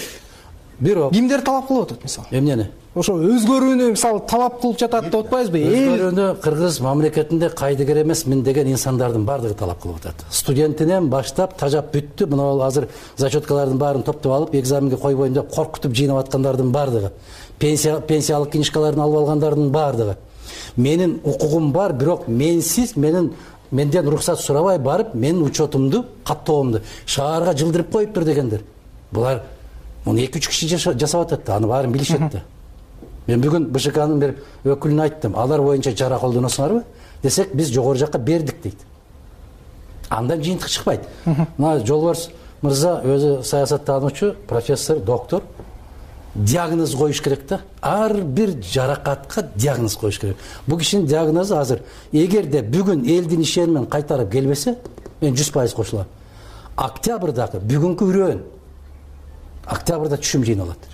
бирок кимдер талап кылып атат мисалы эмнени ошо өзгөрүүнү мисалы талап кылып жатат деп атпайбызбы? Өзгөрүүнү кыргыз мамлекетинде кайдыгер эмесмин деген инсандардын баардыгы талап кылып атат. Студентинен баштап тажап бүттү. Мына азыр зачеткалардын баарын топтоп алып, экзаменге койбойм деп коркутуп жыйнап аткандардын баардыгы, пенсия пенсиялык книжкаларын алып алгандардын баардыгы. Менин укугум бар, бирок менсиз менин менден уруксат сурабай барып, менин учетумду, каттоомду шаарга жылдырып коюптур дегендер. Булар муну эки үч киши жасап атат да, аны баарын билишет да. Мен бүгүн БШКнын бир өкүлүнө айттым, алар боюнча чара колдоносуңарбы десек, биз жогору жакка бердик дейт. Андан жыйынтык чыкпайт. Мына Жолборс мырза өзү саясаттануучу, профессор, доктор, диагноз коюш керек да. Ар бир жаракатка диагноз коюш керек. Бул кишинин диагнозу азыр эгерде бүгүн элдин ишенимин кайтарып келбесе, мен жүз пайыз кошулам. Октябрдагы бүгүнкү үрөөн октябрда түшүм жыйналат.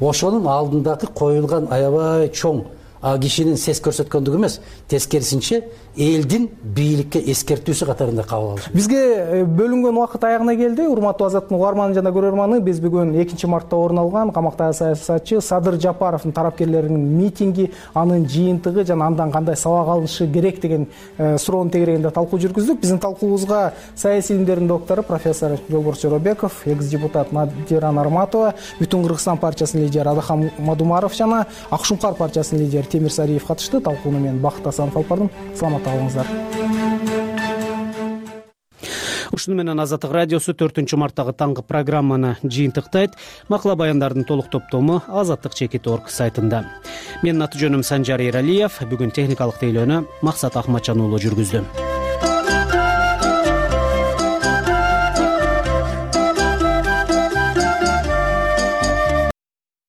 Ошонун алдындагы коюлган аябай чоң а кишинин сес көрсөткөндүгү эмес, тескерисинче элдин бийликке эскертүүсү катарында кабыл алыш. Бизге бөлүнгөн убакыт аягына келди. Урматтуу Азаттын угарманы жана көрөрманы, биз бүгүн экинчи мартта орун алган камактагы саясатчы Садыр Жапаровдун тарапкерлеринин митинги, анын жыйынтыгы жана андан кандай сабак алынышы керек деген суроонун тегерегинде талкуу жүргүздүк. Биздин талкуубузга саясий илимдердин доктору профессор Жолборс Жоробеков, экс депутат Надира Нарматова, Бүтүн Кыргызстан партиясынын лидери Адахан Мадумаров жана Ак Шумкар партиясынын лидери Темир Сариев катышты. Талкууну мен Бакыт Асанов алып бардым. Саламат калыңыздар. Ушуну менен Азаттык радиосу төртүнчү марттагы таңкы программаны жыйынтыктайт. Макала баяндардын толук топтому азаттык чекит точка орг сайтында. Менин аты жөнүм Санжар Эралиев. Бүгүн техникалык тейлөөнү Максат Ахматжан уулу жүргүздү.